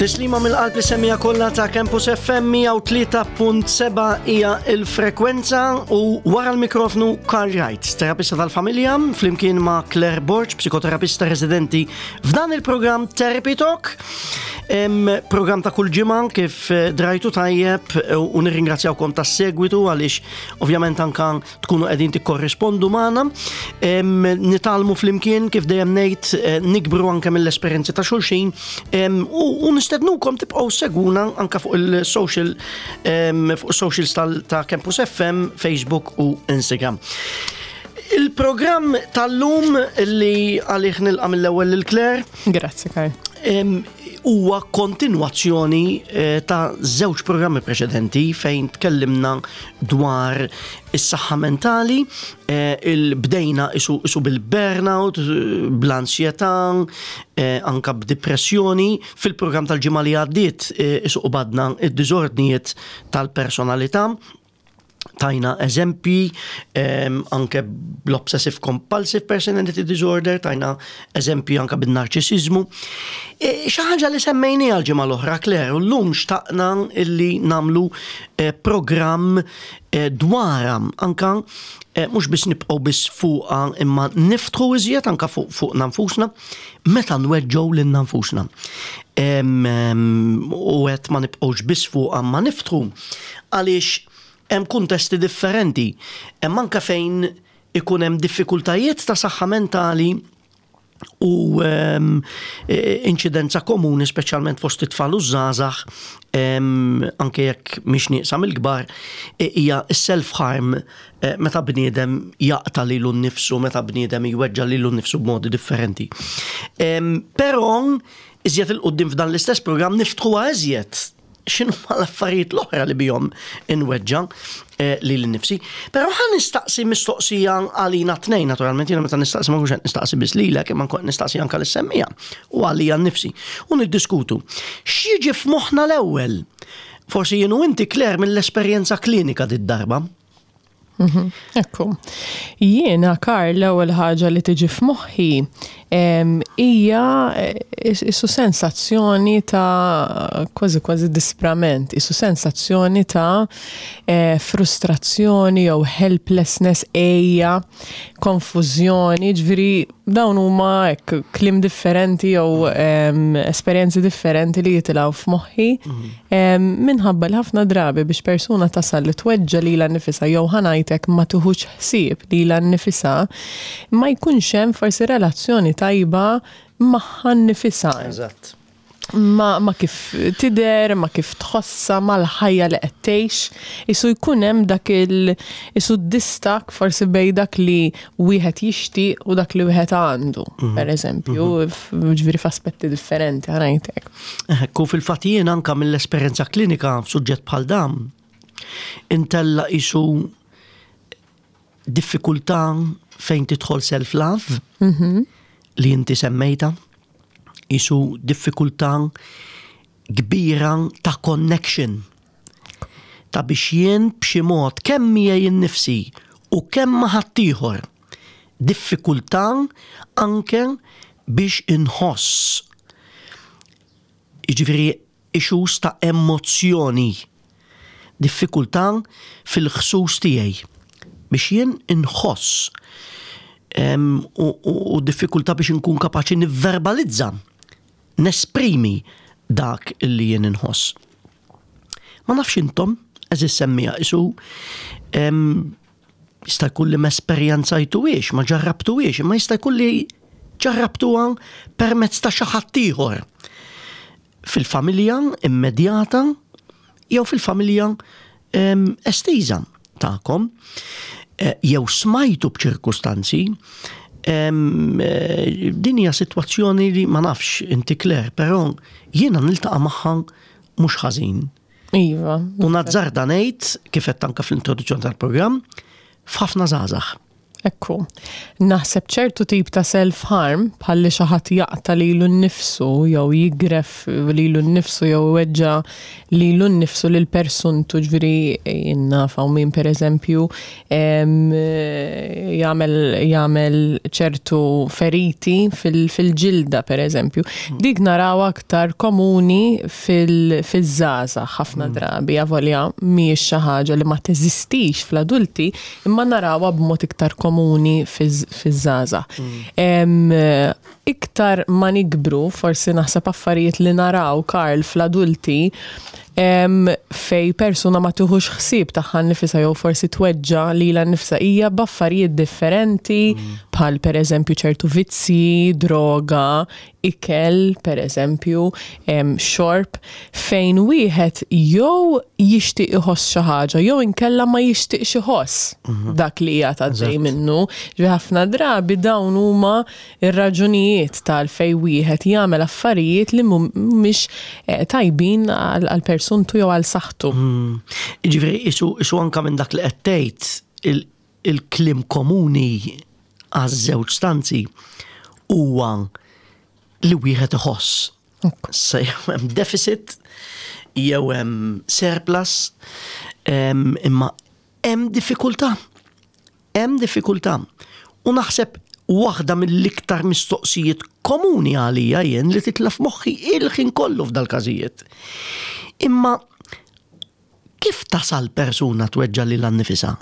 Tislima mill-qalb li semmija kollha ta' Campus FM 103.7 hija il-frekwenza u wara l-mikrofnu Karl Wright, terapista tal-familja, flimkien ma' Claire Borg, psikoterapista residenti f'dan il-programm Therapy Talk. Program ta' kull ġimgħa kif eh, drajtu tajjeb eh, u nirringrazzjawkom tas-segwitu għaliex ovvjament anka tkunu qegħdin tikkorrispondu magħna. Nitalmu flimkien kif dejjem ngħid eh, nikbru anke mill-esperjenzi ta' xulxin u nistednukom tibqgħu seguna anke fuq il-social fuq socials ta' Campus FM, Facebook u Instagram. Il-programm tal-lum li għalih nilqa' mill-ewwel lil Claire. Grazzi, Kaj. Huwa kontinwazzjoni eh, ta' żewġ programmi preċedenti fejn tkellimna dwar is-saħħa mentali, eh, il-bdejna isu, isu bil-burnout, bl-ansjetà, eh, anka b'depressjoni. Fil-programm tal-ġimgħa li għaddiet isu qbadna id-diżordnijiet tal-personalità tajna eżempji ehm, anke bl-obsessive compulsive personality disorder, tajna eżempji anke bin-narċisizmu. E, xi ħaġa li semmejni għal ġimgħa l-oħra Claire, u llum xtaqna illi namlu e, programm e, dwarha anka mhux biss nibqgħu biss fuqha imma niftħu iżjed anka fuq fuqna nfusna meta nweġġgħu lilna nfusna. U qed ma nibqgħux biss fuqha ma niftħu għaliex hemm kuntesti differenti. Hemm anke fejn ikun hemm diffikultajiet ta' saħħa mentali u ehm, e, inċidenza komuni speċjalment fost it-tfal u żgħażagħ ehm, anke jekk mhix nieqsa mill-kbar e, hija s-self harm e, meta bniedem jaqta' lilu nnifsu, meta bniedem jweġġa' lilu nnifsu b'modi differenti. Ehm, però iżjed il-qudiem f'dan l-istess programm niftħuha iżjed x'inhuma l-affarijiet l-oħra li bihom inweġġa' eh, lili nnifsi. Però ħa nistaqsi mistoqsija għalina tnejn, naturalment jiena meta nistaqsi ma nkunx qed nistaqsi biss lilek, imma nkun nistaqsi anke lis-semmija u għalija nnifsi. U niddiskutu. X'jiġi f'moħħna l-ewwel? Forsi jien u inti Claire mill-esperjenza klinika did-darba. Mhm, ekku. Jiena, Karl, l-ewwel ħaġa li tiġi f'moħħi hija eh, isu sensazzjoni ta' kważi kważi disprament, isu sensazzjoni ta' eh, frustrazzjoni jew helplessness, ejja, konfużjoni, ġifieri dawn huma hekk kliem differenti jew esperjenzi differenti li jitilgħu f'moħħi mhm. minħabba li ħafna drabi biex persuna tasal li tweġġa lilha nnifisha jew ħanajtek ma tuħux ħsieb lilha nnifisha ma jkunx hemm forsi relazzjoni tajba magħha nnifisha. Eżatt. Ma, ma kif tider, ma kif tħossa, ma l-ħajja li qed tgħix. Isu jkun hemm dak il isu distak forsi bej dak li wieħed jixtieq u dak li wieħed għandu, mhm. per eżempju, mhm. ġifieri f'aspetti differenti ħanajtek. Ekku fil-fatt jien anka mill-esperjenza klinika f'suġġett bħal dan intella isu diffikultà fejn tidħol self-love mhm. li inti semmejta, isu diffikultà kbira ta' connection ta' biex jien b'xi mod kemm miegħi nnifsi u kemm ma' ħaddieħor diffikultà anke biex inħoss. Jiġifieri issues ta' emozzjoni, diffikultà fil-ħsus tiegħi biex jien inħoss u diffikultà biex inkun kapaċi nivverbalizza, nesprimi dak li jien inħoss. Ma nafx intom, eżis semmija, isu jista' jkun li m'esperjenzajtuhiex, ma ġarrabtuhiex, imma jista' jkun li ġarrabtuha permezz ta' xi ħadd ieħor fil-familja immedjata jew fil-familja estiża tagħkom eh, jew smajtu b'ċirkustanzi eh, din hija sitwazzjoni li ma nafx inti Claire, però jiena niltaqa' magħha mhux ħażin. Iva. U nazzarda ngħid kif qed anke fl-introduzzjoni tal-programm f'ħafna żgħażagħ. Ekku. Naħseb ċertu tip ta' self-harm, bħal li xi ħadd jaqta' lilu nnifsu jew jigref lilu nnifsu jew iweġġa' lilu nnifsu lil persuntu, ġifieri jien naf hawn min pereżempju jagħmel jagħmel ċertu feriti fil-ġilda pereżempju. Dik narawha aktar komuni fil-żgħażagħ ħafna drabi, avolja mhijiex xi ħaġa li ma teżistix fl-adulti, imma narawha b'mod iktar komuni fiż-żgħażagħ. Iktar ma nikbru, forsi naħseb affarijiet li naraw, Karl, fl-adulti, fej persuna ma tieħux ħsieb tagħha nnifisha jew forsi tweġġa' lilha nnifisha hija b'affarijiet differenti bħal pereżempju ċertu vizzji, droga, ikel, per eżempju, xorb, fejn wieħed jew jixtieq iħoss xi ħaġa jew inkella ma jixtieqx iħoss mhm. dak li qiegħed għaddej minnu. Ġifieri ħafna drabi dawn huma ir-raġunijiet tal fej wieħed jagħmel affarijiet li mhumiex eh, tajbin għal persuntu jew għal saħħtu. Mhm. Ġifieri isu anka minn dak li qed tgħid il-kliem komuni għaż-żewġ stanzi huwa li wieħed iħoss. Se jew hemm deficit, jew hemm surplus, imma hemm diffikultà. Hemm diffikultà. U naħseb waħda mill-iktar mistoqsijiet komuni għalija jien li titla' f'moħħi il-ħin kollu f'dal-każijiet. Imma kif tasal persuna tweġġa' lilha nnifisha?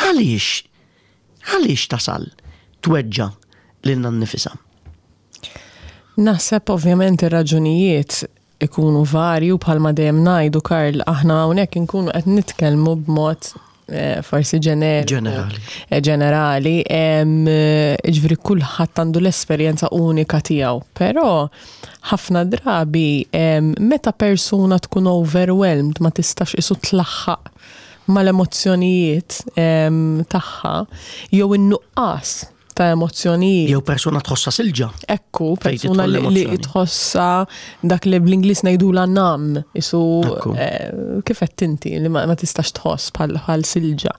Għaliex? Għaliex tasal tweġġa' lilna nnifisha? Naħseb ovvjament ir-raġunijiet ikunu varji u bħalma dejjem ngħidu Karl aħna hawnhekk inkunu qed nitkellmu b'mod eh, forsi ġenerali. Ġenerali. Eh, ġenerali, eh, ġifieri kulħadd għandu l-esperjenza unika tiegħu, però ħafna drabi meta persuna tkun overwhelmed ma tistax isu tlaħħaq mal-emozzjonijiet tagħha jew in-nuqqas ta' emozzjonijiet. Jew persuna tħossha silġa. Ekku, persuna li tħossha dak li bl-Ingliż ngħidula nam, isu eh, kif qed inti li ma tistax tħoss bħal silġa.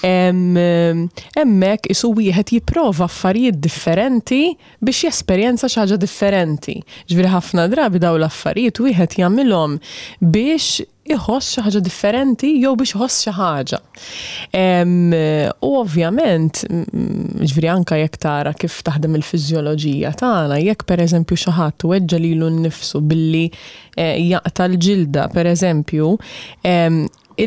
Hemmhekk isu wieħed jipprova affarijiet differenti biex jesperjenza xi ħaġa differenti. Ġifieri ħafna drabi dawn l-affarijiet wieħed jagħmilhom biex iħoss xi ħaġa differenti jew biex iħoss xi ħaġa. U ovvjament, ġifieri anke jekk tara kif taħdem il-fiżjoloġija tagħna, jekk pereżempju xi ħadd weġġa' lilu nnifsu billi eh, jaqta' l-ġilda, pereżempju,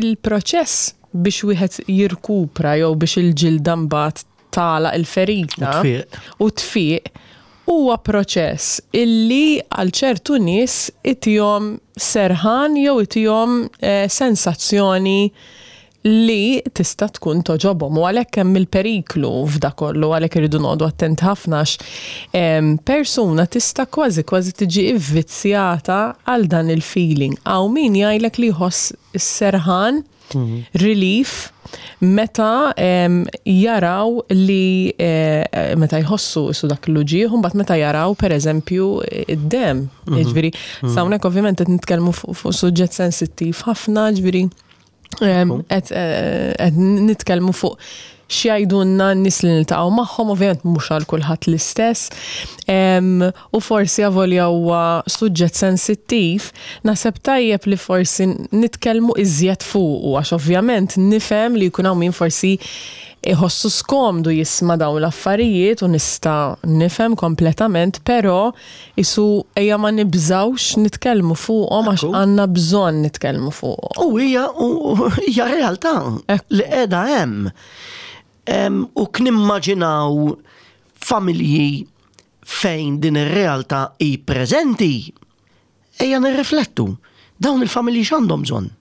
il-proċess biex wieħed jirkupra jew biex il-ġilda mbagħad tagħlaq il-ferita u tfiq huwa proċess illi għal ċertu nies itihom serħan jew itihom eh, sensazzjoni li tista' tkun toġobhom u għalhekk hemm il-periklu f'da kollu għalhekk irridu noqogħdu attenti ħafna għax persuna tista' kważi kważi tiġi ivvizzjata għal dan il-feeling. Hawn min jgħidlek li jħoss is-serħan relief meta jaraw li eh, meta jħossu isu dak l-uġieħ, mbagħad meta jaraw pereżempju id-dem. Mhm. Jiġifieri, mhm. hawnhekk ovvjament qed nitkellmu fuq suġġett sensittiv ħafna, ġifieri qed eh, nitkellmu fuq x'jgħidulna n-nies li niltaqgħu magħhom, ovvjament mhux għal kulħadd l-istess. U forsi avolja huwa suġġett sensittiv, naħseb tajjeb li forsi nitkellmu iżjed fuqu għax ovvjament nifhem li jkun hawn min forsi iħossu skomdu jisma' dawn l-affarijiet u nista' nifhem kompletament, però isu ejja ma nibżgħux nitkellmu fuqhom għax għandna bżonn nitkellmu fuqhom. U hija hija realtà li qiegħda hemm. U knimmaġinaw familji fejn din ir-realtà hi preżenti, ejja nirriflettu, dawn il-familji x'għandhom bżonn?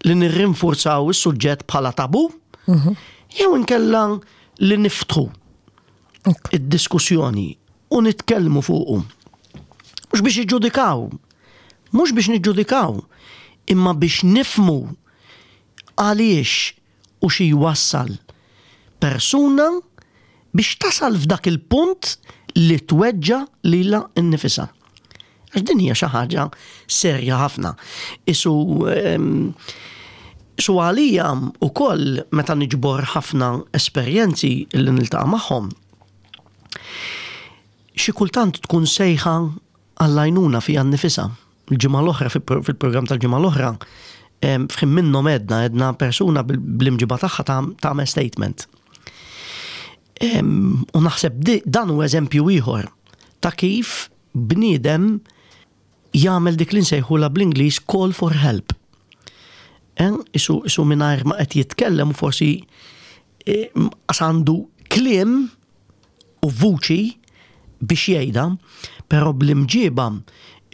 Li nirrinfurzaw is-suġġett bħala tabu? Mhm. Jew inkella li niftħu id-diskussjoni u nitkellmu fuqu. Mhux biex iġġudikaw, mhux biex niġġudikaw, imma biex nifmu għaliex u xi jwassal persuna biex tasal f'dak il-punt li tweġġa' lilha nnifisha. Għax din hija xi ħaġa serja ħafna. Isu ehm, Su għalija wkoll meta niġbor ħafna esperjenzi li niltaqa' magħhom, xi kultant tkun sejħa għall-għajnuna fiha nnifisha. Il-ġimgħa l-oħra fil-programm tal-ġimgħa l-oħra f'ħin minnhom għedna għedna persuna bl-imġiba tagħha tagħmel statement. U naħseb dan hu eżempju ieħor ta' kif bniedem jagħmel dik li nsejħulha bl-Ingliż call for help. Isu, isu mingħajr ma qed jitkellem u forsi e, għandu kliem u vuċi biex jgħidha, però bl-imġiba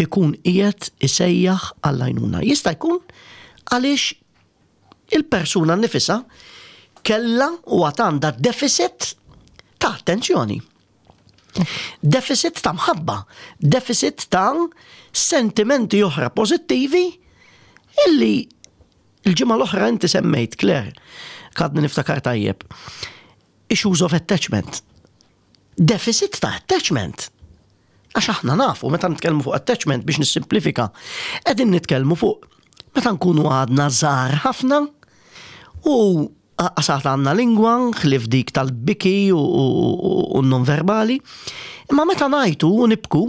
ikun qiegħed isejjaħ għall-għajnuna. Jista' jkun għaliex il-persuna nifisha kellha u għad għandha deficit ta' attenzjoni. Deficit ta' mħabba, deficit ta' sentimenti oħra pożittivi illi il-ġimgħa l-oħra inti semmejt, Claire, kadni niftakar tajjeb. Issues of attachment. Deficit ta' attachment. Għax aħna nafu, meta nitkellmu fuq attachment biex nissimplifika, qegħdin nitkellmu fuq meta nkunu għadna żgħar ħafna u qasat għandna lingwa ħlief dik tal-biki u non-verbali, imma meta ngħajtu u nibku,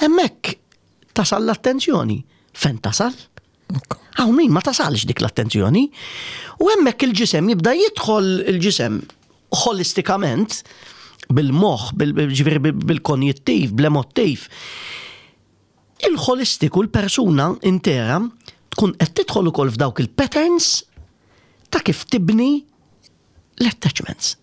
hemmhekk tasal l-attenzjoni. Fejn tasal? Hawn min ma tasalx dik l-attenzjoni. U hemmhekk il-ġisem jibda jidħol il-ġisem holistikament bil-moħħ, bil-konjittiv, bl-emottiv. Il-holistiku, l-persuna intera, tkun qed tidħol ukoll f'dawk il-patterns ta' kif tibni l-attachments.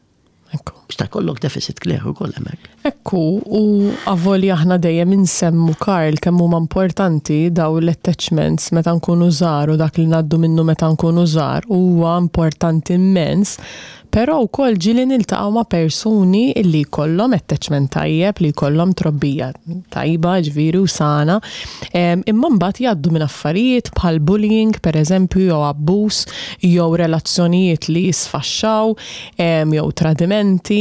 Ekku. Jista' jkollok deficit clear ukoll hemmhekk. Ekku, u avolja aħna dejjem insemmu Karl kemm huma importanti daw l-attachments meta nkunu żgħar u dak li ngħaddu minnu meta nkunu żgħar huwa importanti immens, però wkoll ġieli niltaqgħu ma' persuni illi jkollhom attachment tajjeb, li jkollhom trobbija tajba, ġifieri u sana, imma mbagħad jgħaddu minn affarijiet bħal bullying pereżempju jew abbuż jew relazzjonijiet li jisfaxxaw jew tradimenti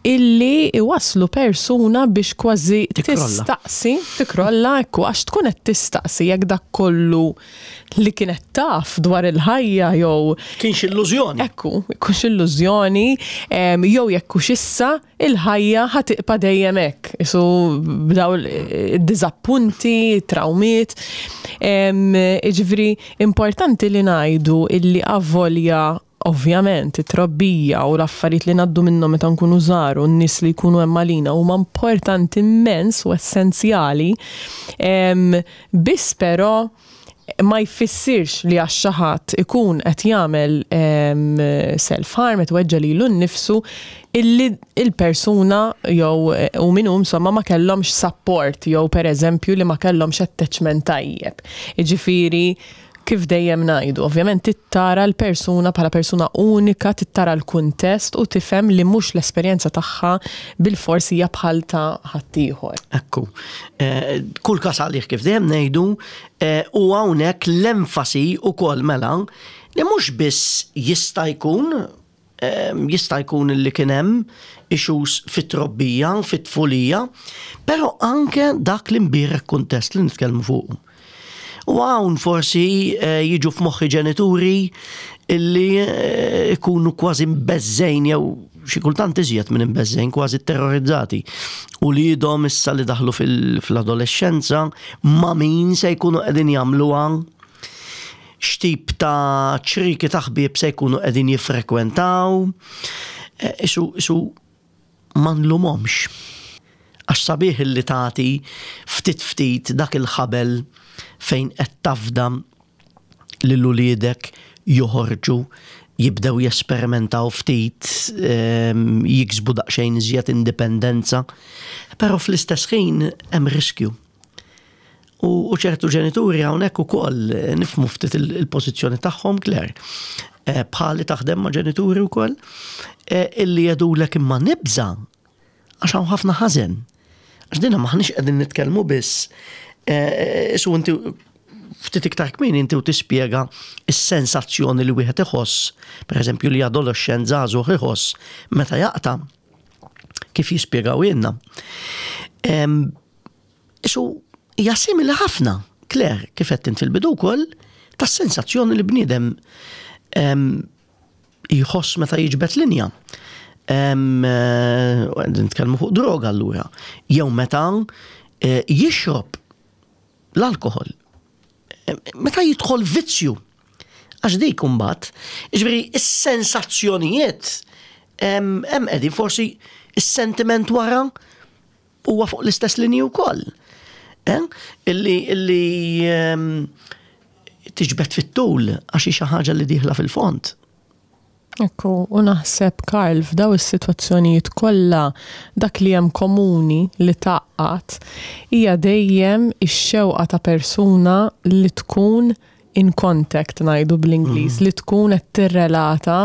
illi iwasslu persuna biex kważi tistaqsi, tikrolla, ekku, għax tkun qed tistaqsi jekk dak kollu li kienet taf dwar il-ħajja jew Kienx illużjoni. Ekku, kienx illużjoni, jew jekk hux issa il-ħajja ħa tibqa' dejjem hekk. Isu b'daw id-diżappunti, trawmiet. Jiġifieri importanti li ngħidu illi avolja Ovvjament, it-trobbija u l-affarijiet li ngħaddu minnhom meta nkunu żgħar u n-nies li jkunu hemm għalina huma importanti immens u essenzjali, biss però ma jfissirx li għax xi ħadd ikun qed jagħmel self-harm, qed iweġġa' lilu nnifsu, illi l-persuna jew hu min hu insomma ma kellhomx support jew pereżempju li ma kellhomx attachment tajjeb. Jiġifieri Kif dejjem ngħidu, ovvjament trid tara l-persuna bħala persuna unika, trid tara l-kuntest u tifhem li mhux l-esperjenza tagħha bilfors hija bħal ta' ħaddieħor. Ekku. Kull każ għalih kif dejjem ngħidu, u hawnhekk l-enfasi wkoll mela li mhux biss jista' jkun Jista' jkun li kien hemm issues fit-trobbija, fit-tfulija, però anke dak l-imbierek kuntest li nitkellmu fuqu. U hawn forsi eh, jiġu f'moħħi ġenituri illi eh, ikunu kważi mbeżżejn jew xi kultant iżjed minn imbeżżejn, kważi terrorizzati. U li jidhom issa li daħlu fil-adolescenza ma' min se jkunu qegħdin jagħmluha x'tip ta' ċrieki ta' ħbieb se jkunu qegħdin jiffrekwentaw. Eh, isu, isu ma nlumhomx. Għax sabiħ li tagħti ftit ftit dak il-ħabel fejn qed tafda lil uliedek joħorġu jibdew jesperimentaw ftit, ehm, jiksbu daqsxejn iżjed indipendenza, però fl-istess ħin hemm riskju. U ċertu ġenituri hawnhekk ukoll eh, nifhmu ftit il-pożizzjoni tagħhom, Claire. Eh, bħali taħdem ma' ġenituri wkoll, eh, illi jedulek imma nibża għax hawn ħafna ħażen. Għax dinha maħniex qegħdin nitkellmu biss isu inti ftit iktar kmieni inti u tispjega s-sensazzjoni li wieħed iħoss, pereżempju li adolescent żagħżugħ iħoss meta jaqta' kif jispjegaw ilna. Isu hija simili ħafna, Claire, kif għedt int fil-bidu wkoll, tas-sensazzjoni li bniedem jħoss meta jiġbed linja. Eh, nitkellmu fuq droga allura. Jew meta eh, jixrob l-alkohol. Meta jidħol vizzju, għax dik imbagħad, jiġifieri is-sensazzjonijiet hemm qegħdin forsi is-sentiment wara huwa fuq l-istess linji wkoll. Eh? Illi illi tiġbed fit-tul għax hi xi ħaġa li dieħla fil-fond. Ekku, u naħseb Karl f'daw is-sitwazzjonijiet kollha dak li hemm komuni li tgħaqqad hija dejjem ix-xewqa ta' persuna li tkun in contact ngħidu bl-Ingliż, li tkun qed tirrelata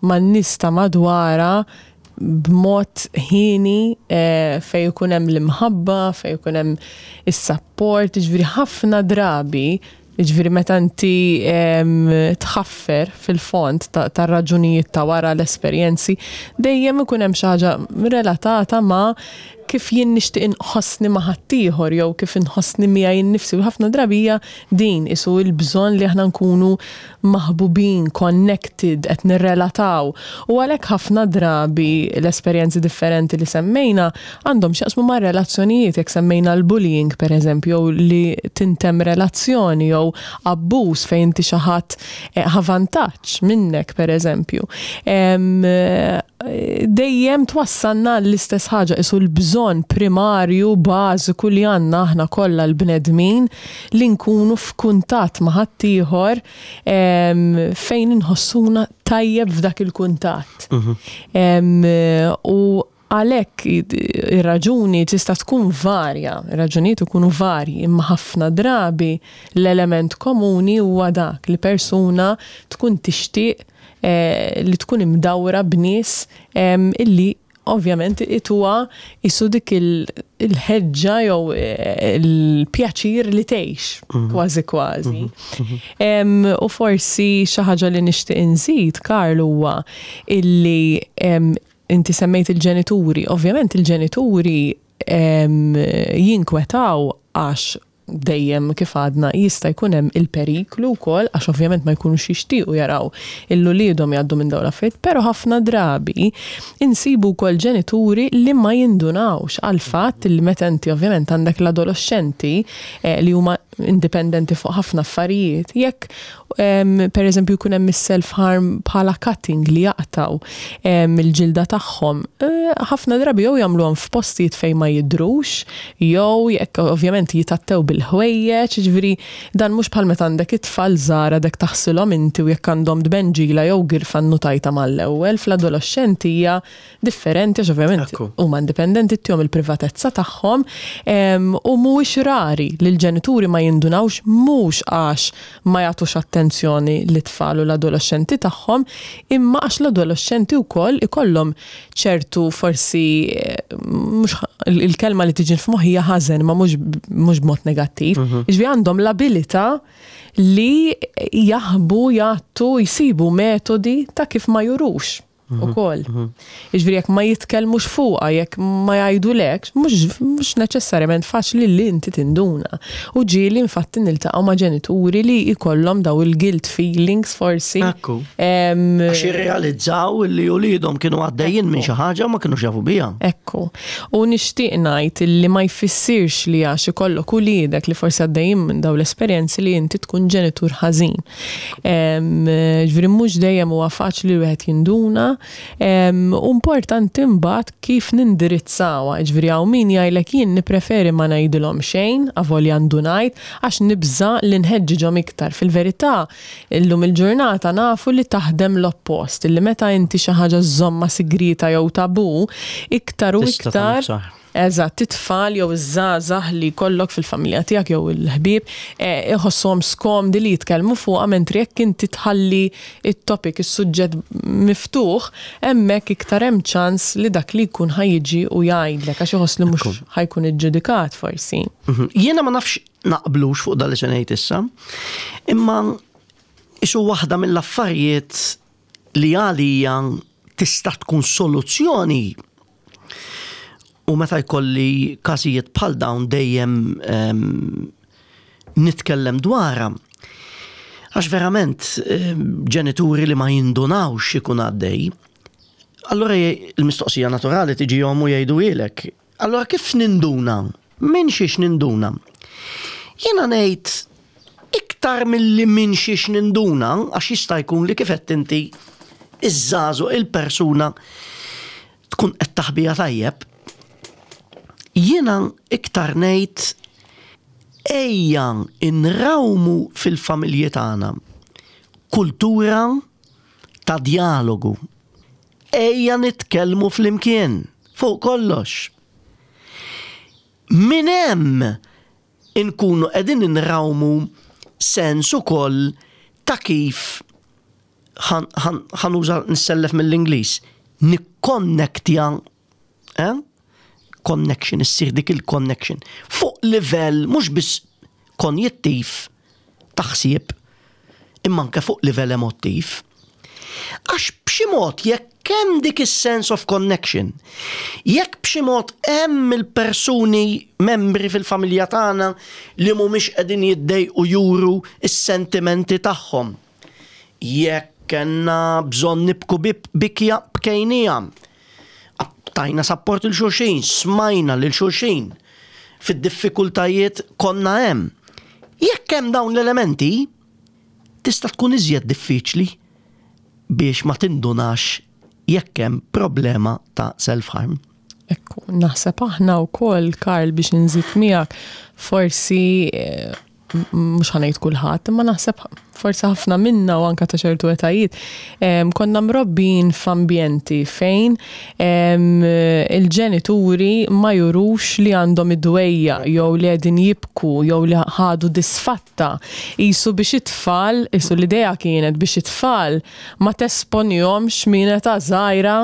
man-nies ta' madwarha b'mod ħieni eh, fejn ikun hemm l-imħabba, fejn ikun hemm is-sapport, jiġifieri ħafna drabi Jiġifieri meta inti tħaffer fil-fond tar-raġunijiet ta' wara l-esperjenzi, dejjem ikun hemm xi ħaġa relatata ma' kif jien nixtieq inħossni ma' ħaddieħor jew kif inħossni miegħi nnifsi u ħafna drabi hija din qisu l-bżonn li aħna nkunu maħbubin, connected, qed nirrelataw. U għalhekk ħafna drabi l-esperjenzi differenti li semmejna għandhom x'jaqsmu mar-relazzjonijiet, jekk semmejna l-bullying pereżempju jew li tintemm relazzjoni jew abbuż fejn inti xi ħadd eh, ħa vantaġġ minnek pereżempju. Dejjem twassalna l-istess ħaġa isu l-bżonn primarju bażiku li għandna aħna kollha l-bnedmin li nkunu f'kuntatt ma' ħaddieħor fejn inħossuna tajjeb f'dak il-kuntatt. Mhm. U għalhekk ir-raġuni tista' tkun varja, ir-raġunijiet ikunu varji, imma ħafna drabi l-element komuni huwa dak li persuna tkun tixtieq eh, li tkun imdawra b'nies illi ovvjament ituha isu dik il-ħeġġa jew eh, il-pjaċir li tgħix mhm. kważi kważi. Mhm. Mhm. U forsi xi ħaġa li nixtieq inżid, Karl, huwa illi inti semmejt il-ġenituri. Ovvjament il-ġenituri jinkwetaw għax dejjem kif għadna jista' jkun hemm il-periklu wkoll għax ovvjament ma jkunux jixtiequ jaraw il uliedhom jgħaddu minn dawn l-affarijiet, però ħafna drabi insibu wkoll ġenituri li ma jindunawx għal fatt li meta inti ovvjament għandek l-adoloxxenti eh, li huma indipendenti fuq ħafna affarijiet, jekk per eżempju jkun hemm is-self harm bħala cutting li jaqtaw il-ġilda tagħhom, eh, ħafna drabi jew jagħmluhom f'postijiet fejn ma jidhrux, jew jekk ovvjament jitattew bil-ħwejjeġ, jiġifieri dan mhux bħal meta għandek it-tfal żgħar għadek taħsilhom inti u jekk għandhom tbenġila jew girfa nnutajtha mal-ewwel, fl-adoloxxenti hija differenti għax ovvjament huma indipendenti ttihom il-privatezza tagħhom u mhuwiex rari li l-ġenituri ma jindunawx mhux għax ma jagħtux attenzjoni lit-tfal u l-adoloxxenti tagħhom imma għax l-adoloxxenti wkoll ikollhom ċertu forsi mhux il-kelma li tiġi f'moħħi hija ħażen ma mhux b'mod negattiv. Mhm. Jiġifieri għandhom l-abilità li jaħbu, jgħattu, jsibu metodi ta' kif ma jurux. Mhm. ukoll. Mhm. Jiġifieri jekk ma jitkellmux fuqha, jekk ma jgħidulekx, mhux neċessarjament faċli li inti tinduna. U ġieli infatti niltaqgħu ma' ġenituri li jkollhom daw il-guilt feelings forsi. Ekku. Għax jirrealizzaw li uliedhom kienu għaddejjin minn xi ħaġa ma kinux jafu biha. Ekku. U nixtieq ngħid li ma jfissirx li għax ikollok uliedek li forsi għaddejjin minn daw l-esperjenzi li inti tkun ġenitur ħażin. Ġifieri mhux dejjem huwa faċli li wieħed jinduna. U importanti mbagħad kif nindirizzawha. Ġifieri hawn min jgħidlek jien nippreferi ma ngħidilhom xejn, avolja ndunajt, għax nibża' li nħeġġiġhom iktar. Fil-verità, illum il-ġurnata nafu li taħdem l-oppost, illi meta inti xi ħaġa żżommha sigrieta jew tabù, iktar u iktar. Eżatt, it-tfal jew iż-żgħażagħ li jkollok fil-familja tiegħek jew il-ħbieb eh, iħossuhom skomdi li jitkellmu fuqha mentri jekk inti tħalli it-topic, is-suġġett miftuħ, hemmhekk iktar hemm ċans li dak li jkun ħa jiġi u jgħidlek għax iħoss li mhux ħa jkun iġġudikat forsi. Mhm. Jiena ma nafx naqblux fuq dan li se ngħid issa, imma isu waħda mill-affarijiet li għalija tista' tkun soluzzjoni U meta jkolli każijiet bħal dawn dejjem ehm, nitkellem dwarha. Għax verament ġenituri li ma jindunawx ikun għaddej, allura il-mistoqsija naturali tiġihom u jgħiduhielek. Allura kif ninduna? Minn xiex ninduna? Jiena ngħid iktar milli minn xiex ninduna, għax jista' jkun li kif qed inti iż-żagħżugħ il-persuna tkun qed taħbiha tajjeb, jiena iktar ngħid ejja nrawmu fil-familji tagħna kultura ta' djalogu. Ejja nitkellmu flimkien fuq kollox. Minn hemm inkunu qegħdin inrawmu sens ukoll ta' kif ħa nuża nissellef mill-Ingliż, nikkonnektja, eh? Connection, issir dik il-connection. Fuq livell mhux biss konjittiv ta' ħsieb, imma anke fuq livell emottiv. Għax b'xi mod jekk hemm dik is-sense of connection, jekk b'xi mod hemm il-persuni membri fil-familja tagħna li mhumiex qegħdin jiddejqu juru s-sentimenti tagħhom, Jekk kellna bżonn nibku bikja bkejnija. Tajna sapport il xulxin, smajna lil xulxin. Fid-diffikultajiet konna hemm. Jekk hemm dawn l-elementi, tista' tkun iżjed diffiċli biex ma tindunax jekk hemm problema ta' self-harm. Ekku, naħseb aħna wkoll, Karl, biex inżid miegħek, forsi eh, mhux ħanejt kulħadd, imma naħseb forsi ħafna minna u anka ta' ċertu etajiet, konna mrobbin f'ambjenti fejn il-ġenituri ma jurux li għandhom id-dwejja jew li qegħdin jibku jew li ħadu disfatta. Isu biex it-tfal, isu l-idea kienet biex it-tfal ma tesponihomx minn età żgħira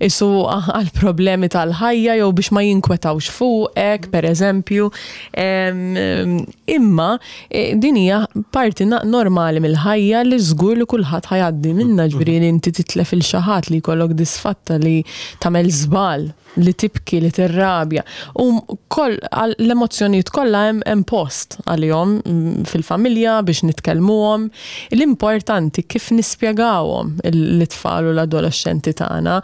isu għal problemi tal-ħajja jew biex ma jinkwetawx fuqek, per eżempju. Imma e, din hija parti normali mill-ħajja li żgur li kulħadd ħajgħaddi minnha ġifieri li inti titlef il xi ħadd li jkollok disfatta li tagħmel żball li tibki, li tirrabja. U koll, l-emozzjonijiet kollha hemm hemm post għalihom mm, fil-familja biex nitkellmuhom. L-importanti kif nispjegawhom l-tfal u l-adolescenti tagħna,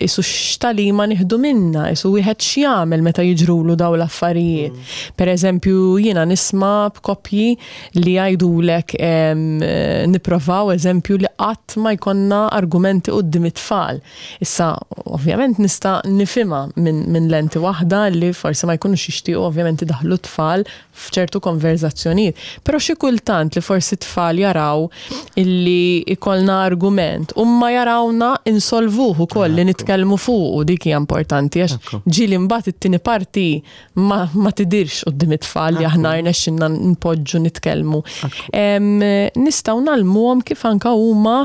isu x'talima nieħdu minna, isu wieħed x'jagħmel meta jiġrulu daw l-affarijiet. Mm. Per eżempju, jiena nisma' b'koppji li jgħidulek nipprovaw eżempju li qatt ma jkollna argumenti quddiem it-tfal. Issa, ovvjament nista' nifhimha minn min lenti waħda li forsi ma jkunux jixtiequ ovvjament idaħħlu t-tfal f'ċertu konverżazzjonijiet. Però xi kultant li forsi t-tfal jaraw illi ikollna argument u ma jarawna insolvuh ukoll li nitkellmu fuqu dik hija importanti għax ġieli mbagħad it-tieni parti ma, ma tidirx quddiem it-tfal li aħna rnexxinna npoġġu nitkellmu. Nistgħu nagħlmuhom kif anka huma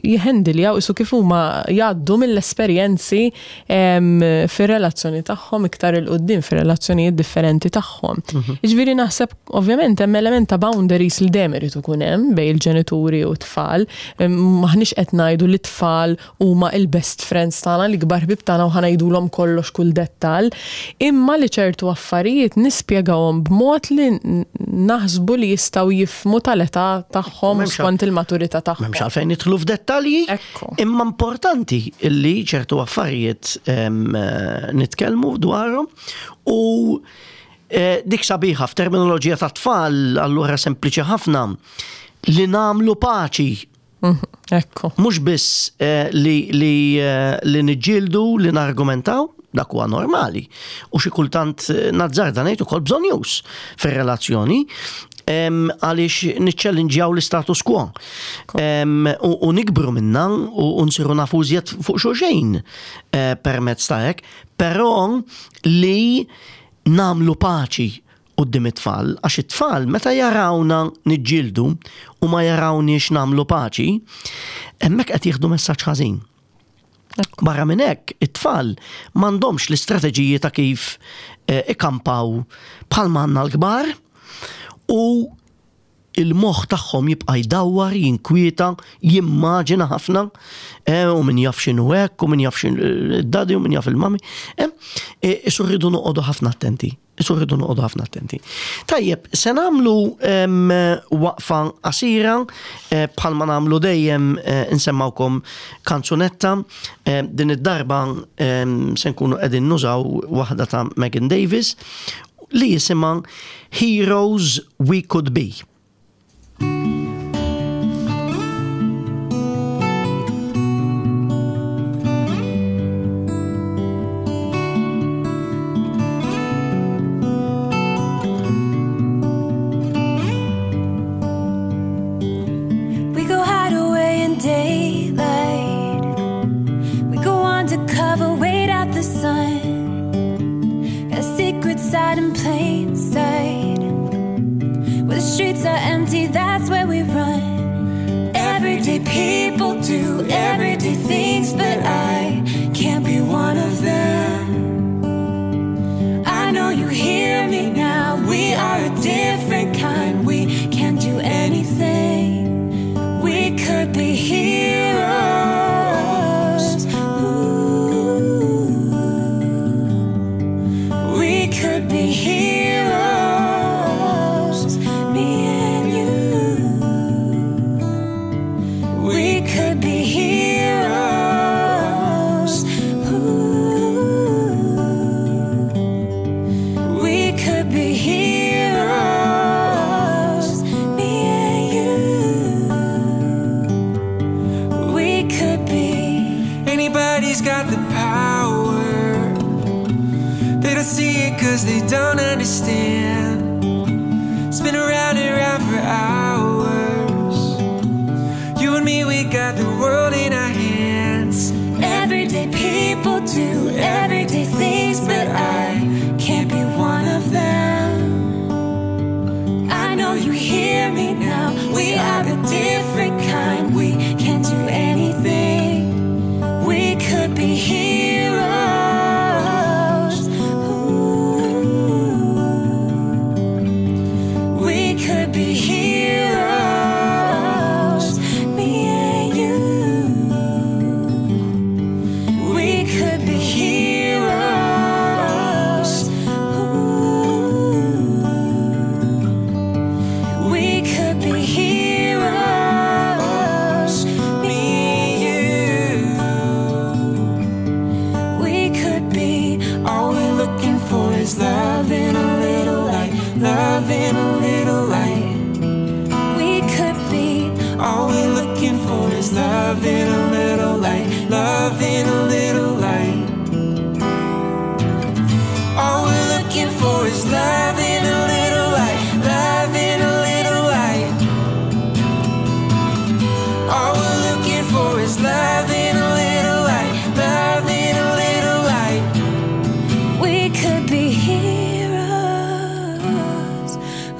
jħendiljaw isu kif huma jgħaddu mill-esperjenzi fir-relazzjoni tagħhom iktar il quddiem fir-relazzjonijiet differenti tagħhom. Mhm. Jiġifieri naħseb ovvjament hemm element ta' boundaries li dejjem irid ikun hemm bejn il-ġenituri u t-tfal. Maħniex qed ngħidu li t-tfal huma il-best friends tagħna, l-ikbar ħbieb tagħna u ħa ngħidulhom kollox kull dettall, imma li ċertu affarijiet nispjegawhom b'mod li naħsbu li jistgħu jifhmu tal-età tagħhom u skont il-maturità tagħhom. M'hemmx għalfejn nidħlu f'dettalji, imma importanti li ċertu affarijiet nitkellmu dwarhom u eh, dik sabiħa f'terminoloġija ta' tfal allura sempliċi ħafna li nagħmlu paċi Mhm, ekku. Mhux biss eh, li, li, eh, li niġġieldu, li nargumentaw, dak huwa normali. U xi kultant eh, nazzarda ngħid ukoll bżonjus fir-relazzjoni għaliex niċċellinġjaw l-istatus quo. U nikbru minna u nsiru nafu iżjed fuq xulxejn permezz ta' hekk, però li namlu paċi quddiem it-tfal, għax it-tfal meta jarawna niġġieldu u ma jarawniex nagħmlu paċi, hemmhekk qed jieħdu messaġġ ħażin. Barra minn hekk, it-tfal m'għandhomx l-istrateġiji ta' kif eh, ikampaw bħalma għandna l-kbar u il-moħħ tagħhom jibqa' jdawwar, jinkwieta, jimmaġina ħafna, eh, u min jaf x'inhu hekk, u min jaf x'in id-daddy, u min jaf il-mummy. Eh, eh, isu rridu noqogħdu ħafna attenti. Isu rridu noqogħdu ħafna attenti. Tajjeb, se nagħmlu waqfa qasira eh, bħalma nagħmlu dejjem eh, insemmawkom kanzunetta. Eh, din id-darba se nkunu qegħdin nużaw waħda ta' Megan Davis li jisimha Heroes We Could Be. We go hide away in daylight. We go undercover, wait out the sun. Got secrets out in plain sight. Where the streets are empty, that's where we run. Everyday people do everyday things, but I can't be one of them. I know you hear me now. We are a different kind. We can do anything. We could be heroes. Ooh. We could be heroes, me and you. We could be heroes. Ooh. We could be heroes, me and you. We could be. Anybody's got the power. They don't see it cause they don't understand. Spin around and round for hours. You and me, we got the world in our hands. Everyday people do everyday things, but I can't be one of them. I know you hear me now. We are a different kind. We can do anything. We could be heroes. Ooh. We could be heroes, me and you. We could be heroes. Ooh. We could be heroes, me and you. We could be. All we're looking for is love in a little light, love in a little light. We could be. All we're looking for is love in a little light, love in a little light. All we're looking for is love in a little light, love in a little light. All we're looking for is love in a little light, love in a little light. We could be heroes.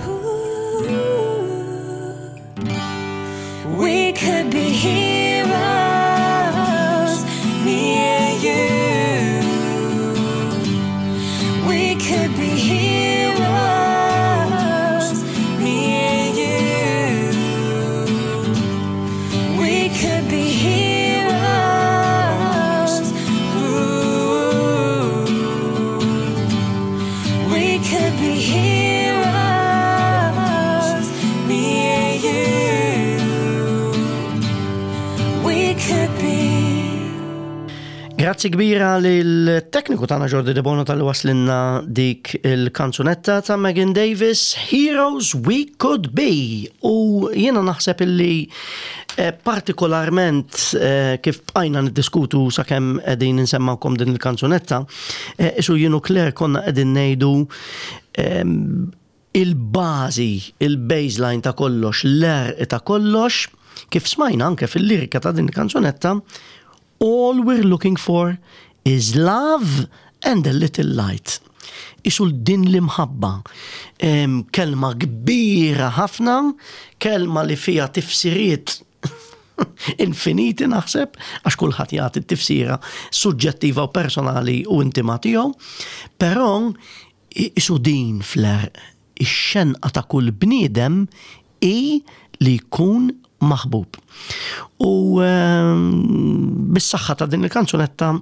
Ooh. We could be heroes, me and you. We could be heroes, me and you. We could be heroes. Ooh. We could be heroes, me and you. We could be. Grazzi kbira lil-tekniku tagħna Jordi De Bono tal-li waslinna dik il-kanzunetta ta' Megan Davis, Heroes We Could Be. U jiena naħseb illi eh, partikolarment eh, kif bqajna niddiskutu sakemm qegħdin insemmawkom din il-kanzunetta, eh, isu jienu Claire konna qegħdin ngħidu ehm, il-bażi, il-baseline ta' kollox, l-erq ta' kollox, kif smajna anke fil-lirika ta' din il-kanzunetta, all we're looking for is love and a little light. Isu din l-imħabba. Kelma kbira ħafna, kelma li fija tifsiriet infiniti naħseb, għax kulħadd jagħti t-tifsira suġġettiva u personali u intima tiegħu, però isu din fl-erq, ix-xenqa ta' kull bniedem hi li jkun maħbub. U ehm, bis-saħħa ta' din il-kanzunetta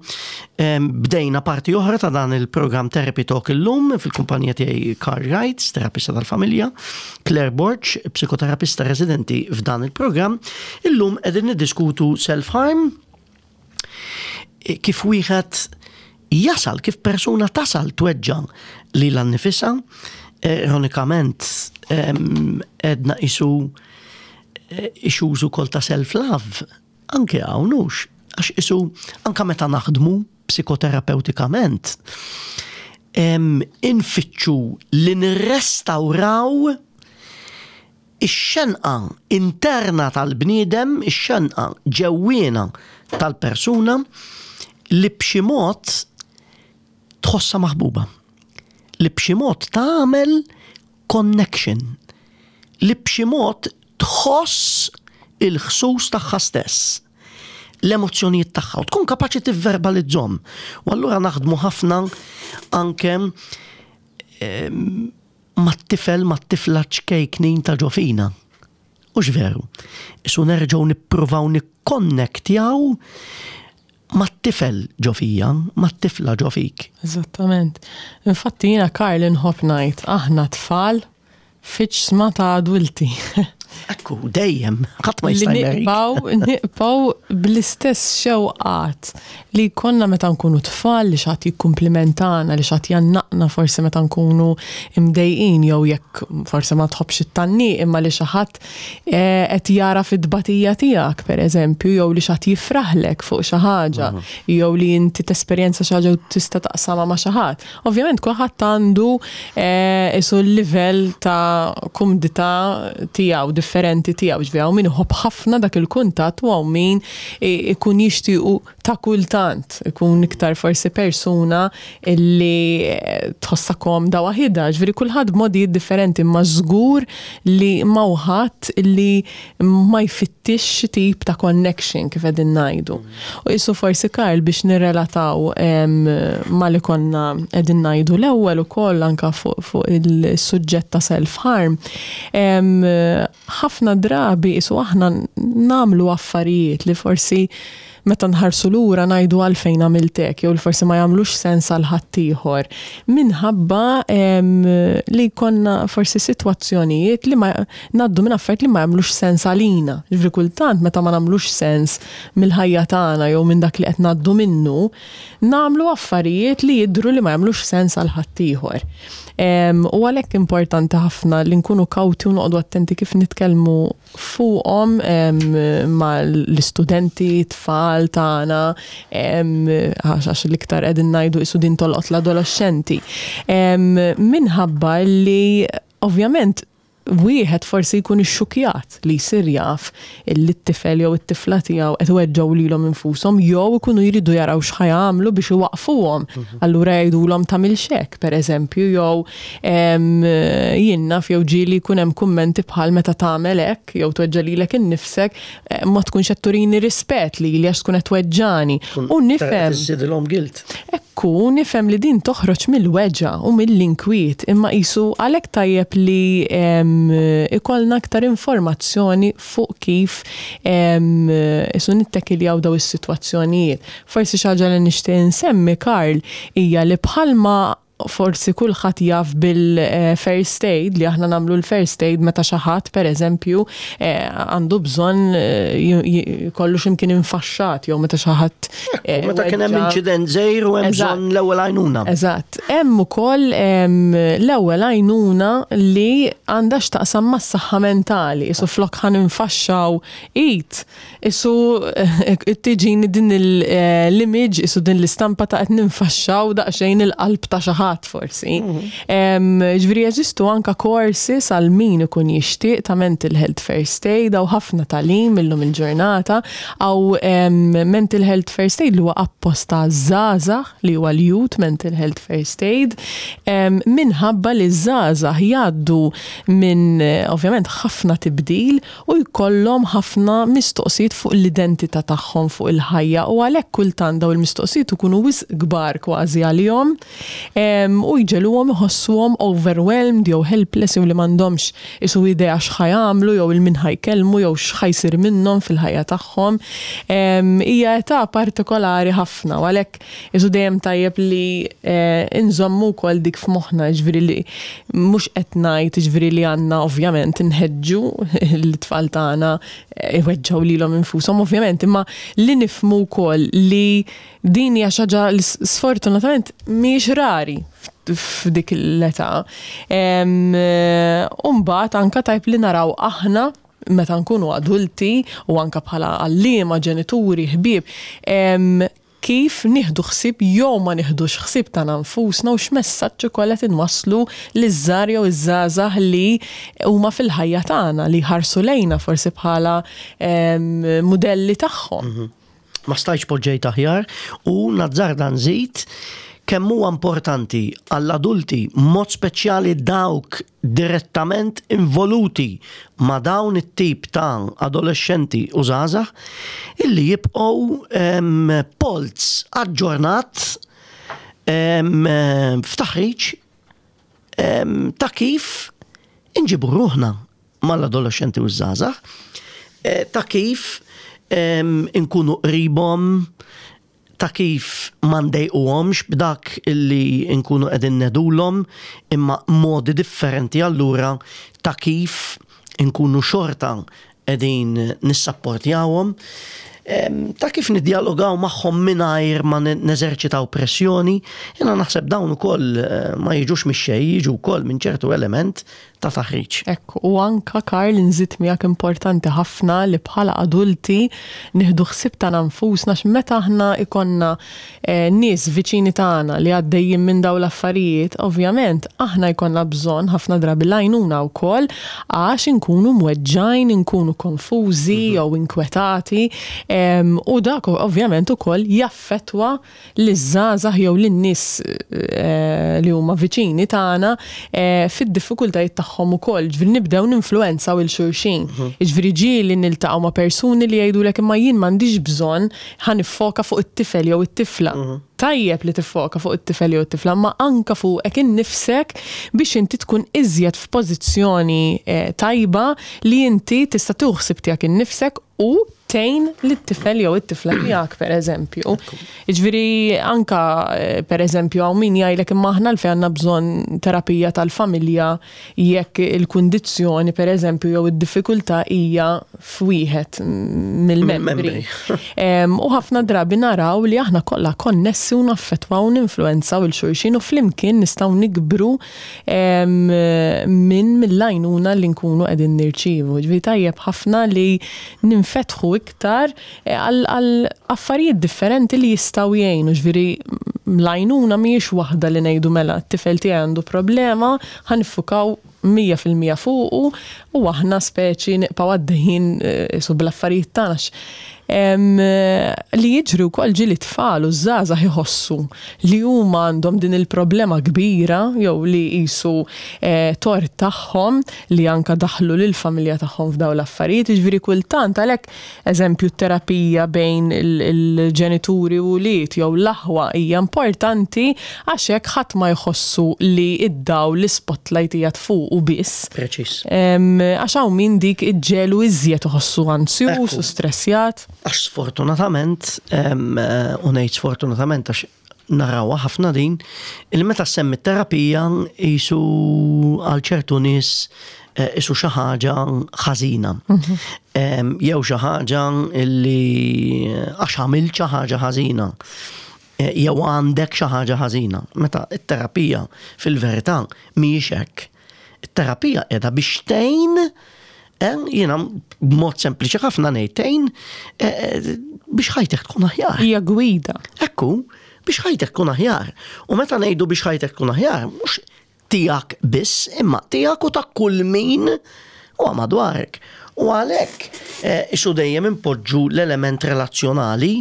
ehm, bdejna parti oħra ta' dan il-programm Therapy Talk illum fil-kumpanija tiegħi Carl Wright, terapista tal-familja, Claire Borg, psikoterapista residenti f'dan il-programm. Illum qegħdin niddiskutu self-harm, kif wieħed jasal, kif persuna tasal tweġġa lilha nnifisha, ironikament edna isu eh, issues ukoll ta' self-love, anke hawn hux, għax isu anke meta naħdmu psikoterapeutikament, infittxu li nirrestawraw Ix-xenqa interna tal-bniedem, ix-xenqa ġewwiena tal-persuna li b'xi mod tħossha maħbuba, li b'xi mod tagħmel connection, li b'xi mod tħoss il-ħsus tagħha stess, l-emozzjonijiet tagħha u tkun kapaċi tivverbalizzhom. U allura naħdmu ħafna anke mat-tifel, mat-tifla ċkejknin ta' ġo fina. Hux veru? Isu nerġgħu nippruvaw nikkonnektjaw mat-tifel ġo fija, mat-tifla ġo fik. Eżattament. Infatti jiena Karl inħobb ngħid aħna tfal fiċ-ġsma ta' adulti. Ekku, dejjem, ħadd ma jista' Nibqgħu nibqgħu bl-istess xewqat li jkollna meta nkunu tfal li xi ħadd jikkumplimentana, li xi ħadd jgħannaqna forsi meta nkunu mdejqin jew jekk forsi ma tħobbx it-tgħanniq imma li xi ħadd eh, qed jara fit-tbatija tiegħek pereżempju jew li xi ħadd jifraħlek fuq xi ħaġa jew li inti tesperjenza xi ħaġa u tista' taqsamha ma' xi ħadd. Ovvjament kulħadd għandu eh, isu l-livell ta' kumdità tiegħu differenti tiegħu, ġifieri hawn min iħobb ħafna dak il-kuntatt u hawn min ikun jixtiequ ta' kultant, ikun iktar forsi persuna li eh, tħossha komda waħidha, ġifieri kulħadd b'modijiet differenti imma żgur li ma ħadd li ma jfittix xi tip ta' connection kif qegħdin ngħidu. U qisu forsi Karl biex nirrelataw ma' li konna qegħdin ngħidu l-ewwel ukoll anke fuq il-suġġett ta' self-harm, ħafna drabi qisu aħna nagħmlu affarijiet li forsi meta nħarsu lura ngħidu għalfejn għamilt hekk jew li forsi ma jagħmlux sens għal ħaddieħor minħabba li jkollna forsi sitwazzjonijiet li ma ngħaddu minn affarijiet li ma jagħmlux sens għalina. Ġifieri kultant meta ma nagħmlux sens mill-ħajja tagħna jew minn dak li qed ngħaddu minnu, nagħmlu affarijiet li jidhru li ma jagħmlux sens għal ħaddieħor. U għalhekk importanti ħafna li nkunu kawti u noqogħdu attenti kif nitkellmu fuqhom mal-istudenti, tfal tagħna, għax l-iktar qegħdin ngħidu qisu din tolqot l-adolexxenti. Minħabba li ovvjament wieħed forsi jkun ixxukjat li jsir jaf li t-tifel jew it-tifla tiegħu qed iweġġgħu lilhom infushom jew ikunu jridu jaraw x'ħa jagħmlu biex iwaqqfuhom. Allura jgħidulhom tagħmilx hekk, pereżempju, jew Jien naf jew ġieli jkun hemm kummenti bħal meta tagħmel hekk jew tweġġa' lilek innifsek eh, ma tkunx qed turini rispett lili għax tkun qed tweġġani. U nifhem. Iżidilhom guilt. Ekku, nifhem li din toħroġ mill-weġgħa u mill-inkwiet imma qisu għalhekk tajjeb li ikollna aktar informazzjoni fuq kif isu nittekiljaw daw is-sitwazzjonijiet. Forsi xi ħaġa li nixtieq insemmi, Karl, hija li bħalma forsi kulħadd jaf bil-first aid li aħna nagħmlu l-first aid meta xi ħadd pereżempju eh, għandu bżonn eh, jkollu x'imkien infaxxat jew meta xi ħadd eh, meta kien hemm inċident żgħir u hemm bżonn l-ewwel għajnuna. Eżatt. Hemm ukoll l-ewwel għajnuna li għandha x'taqsam mas-saħħa mentali, isu flok ħan infaxxaw id Isu tiġini din l-image, isu din l-istampa ta' qed ninfaxxaw daqsxejn il-qalb ta' xi ħadd forsi. Mhm. Ġifieri jeżistu anka courses għal min ikun jixtieq ta' mental health first aid hawn ħafna tagħlim illum il-ġurnata hawn mental health first aid li huwa apposta għaż-żgħażagħ li huwa l-youth mental health first aid minħabba li ż-żgħażagħ jgħaddu minn ovvjament ħafna tibdil u jkollhom ħafna mistoqsijiet fuq l-identità tagħhom, fuq il-ħajja u għalhekk kultant dawn il-mistoqsijiet ikunu wisq kbar kważi għalihom. U jġegħluhom iħossuhom overwhelmed jew helpless jew li m'għandhomx isu idea x'ħa jagħmlu jew 'il min ħa jkellmu jew x'ħa jsir minnhom fil-ħajja tagħhom. Hija età partikolari ħafna u għalhekk isu dejjem tajjeb li nżommu wkoll dik f'moħħna, jiġifieri li mhux qed ngħid jiġifieri li għandna ovvjament inħeġġu lit-tfal tagħna iweġġgħu lilhom infushom ovvjament, imma li nifhmu wkoll li din hija xi ħaġa li sfortunatament mhijiex rari f'dik l-età. U mbagħad anke tajb li naraw aħna meta nkunu adulti u anke bħala għalliema, ġenituri, ħbieb, kif nieħdu ħsieb jew ma nieħdux ħsieb tagħna nfusna u x'messaġġ ukoll qed inwasslu liż-żgħar jew iż-żgħażagħ li huma fil-ħajja tagħna, li jħarsu lejna forsi bħala mudelli tagħhom. Ma stajtx poġġejt aħjar u nazzarda nżid kemm huwa importanti għall-adulti, mod speċjali dawk direttament involuti ma' dawn it-tip ta' adolexxenti u żgħażagħ, illi jibqgħu polz aġġornat f'taħriġ ta' kif inġibu ruħna mal-adolexxenti u ż-żgħażagħ, ta' kif inkunu qribhom, ta' kif ma ndejquhomx b'dak li nkunu qegħdin ngħidulhom, imma modi differenti allura ta' kif inkunu xorta qegħdin nissapportjawhom, ta' kif niddjalogaw magħhom mingħajr ma neżerċitaw pressjoni. Jiena naħseb dawn ukoll ma jiġux mix-xejn, jiġu wkoll minn ċertu element ta' taħriġ. Ekku, u anka Karl inżid miegħek importanti ħafna li bħala adulti nieħdu ħsieb tagħna nfusna għax meta aħna jkollna nies viċini tagħna li għaddejjin minn dawn l-affarijiet, ovvjament aħna jkollna bżonn ħafna drabi l-għajnuna wkoll għax inkunu mweġġgħin, inkunu konfużi jew inkwetati u dak ovvjament ukoll jaffettwa liż-żgħażagħ jew lin-nies li huma viċini tagħna fid-diffikultajiet tagħhom ukoll. Ġifieri nibdew ninfluwenzaw 'il xulxin. Jiġifieri ġieli niltaqgħu ma' persuni li jgħidulek imma jien m'għandix bżonn ħa niffoka fuq it-tifel jew it-tifla. Tajjeb li tiffoka fuq it-tifel jew it-tifla imma anke fuqek innifsek biex inti tkun iżjed f'pożizzjoni tajba li inti tista' tieħu ħsieb tiegħek innifsek u tgħin lit-tifel jew it-tifla tiegħek pereżempju. Jiġifieri anka pereżempju hawn min jgħidlek imma aħna għalfejn għandna bżonn terapija tal-familja jekk il-kundizzjoni pereżempju jew id-diffikultà hija f'wieħed mill-membri. U ħafna drabi naraw li aħna kollha konnessi u naffettwaw u ninfluwenzaw 'il xulxin u flimkien nistgħu nikbru minn mill-għajnuna li nkunu qegħdin nirċievu. Ġifieri tajjeb ħafna li ninfetħu iktar eh, għal affarijiet differenti li jistgħu jgħinu. Ġifieri l-għajnuna mhijiex waħda li ngħidu mela t-tifel tiegħi għandu problema, ħa niffukaw 100% fuqu u aħna speċi nibqgħu għaddejjin eh, su bl-affarijiet tagħna. Li jiġri wkoll ġieli tfal u żgħażagħ iħossu li huma għandhom din il-problema kbira jew li qisu tort tagħhom li anke daħħlu lill-familja tagħhom f'dawn l-affarijiet. Jiġifieri kultant għalhekk eżempju t-terapija bejn il-ġenituri u wlied jew l-aħwa hija importanti għax hekk ħadd ma jħossu li d-dawl, l-ispotlight qiegħed fuqu biss. Preċiż. Għax hawn min dik iġġegħlu iżjed iħossu anzjuż u stressjat. Għax sfortunatament, u ngħid sfortunatament għax narawha ħafna din, il meta semmi terapija jisu għal ċertu nies eh, isu xi ħaġa ħażina. Mhm. Jew xi ħaġa li għax għamilt xi ħaġa ħażina. Eh, jew għandek xi ħaġa ħażina. Meta t-terapija fil-verità mhijiex hekk. It-terapija qiegħda biex tgħin eh, jiena b'mod sempliċi ħafna ngħid tgħin eh, biex ħajtek tkun aħjar. Hija gwida. Ekku, biex ħajtek tkun aħjar. U meta ngħidu biex ħajtek tkun aħjar, mhux tiegħek biss, imma tiegħek u ta' kull min huwa madwarek. U għalhekk eh, isu dejjem impoġġu l-element relazzjonali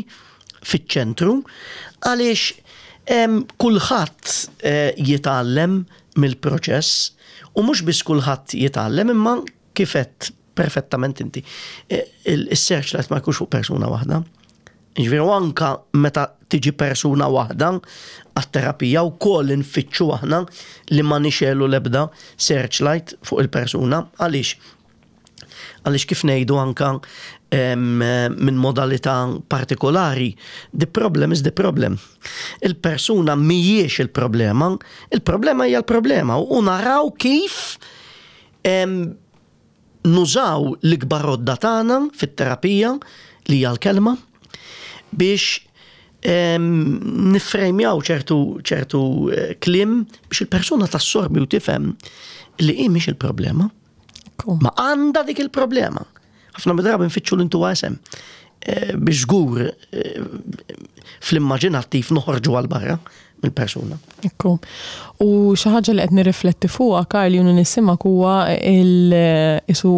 fiċ-ċentru għaliex kulħadd eh, jitgħallem mill-proċess u mhux biss kulħadd jitgħallem imma kif għedt perfettament inti, eh, il-searchlight ma jkunx fuq persuna waħda. Ġifieri anka meta tiġi persuna waħda għat-terapija wkoll infittxu aħna li ma nixegħlu l-ebda searchlight fuq il-persuna. Għaliex? Għaliex kif ngħidu anka minn modalità partikolari, the problem is the problem. Il-persuna mhijiex il-problema, il-problema hija l-problema u naraw kif nużaw l-ikbar għodda tagħna fit-terapija li hija l-kelma biex niffrejmjaw ċertu ċertu eh, kliem biex il-persuna tassorbi u tifhem li hi mhix il-problema. Ma għandha dik il-problema. Ħafna mid-drabi nfittxu l-intuwa isem eh, biex żgur eh, fl-immaġinattiv noħorġu għal barra mill-persuna. Ekku. U xi ħaġa li qed nirrifletti fuqha Karl jien nisimgħek huwa il-isu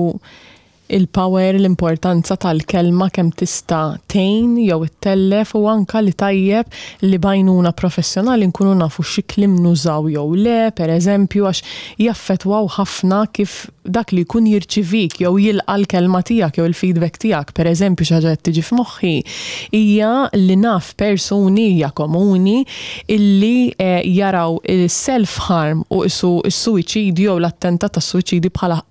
il-power, l-importanza tal-kelma kemm tista' tgħin jew ittellef u anka li tajjeb li b'għajnuna professjonali nkunu nafu xi kliem nużaw jew le, per eżempju, għax jaffettwaw ħafna kif dak li jkun jirċivik jew jilqa' l-kelma tiegħek jew il-feedback tiegħek. Per eżempju, xi ħaġa qed tiġi f'moħħi hija li naf persuni hija komuni illi eh, jaraw il-self-harm u isu s-suwiċidju jew l-attentat tas-suwiċidju bħala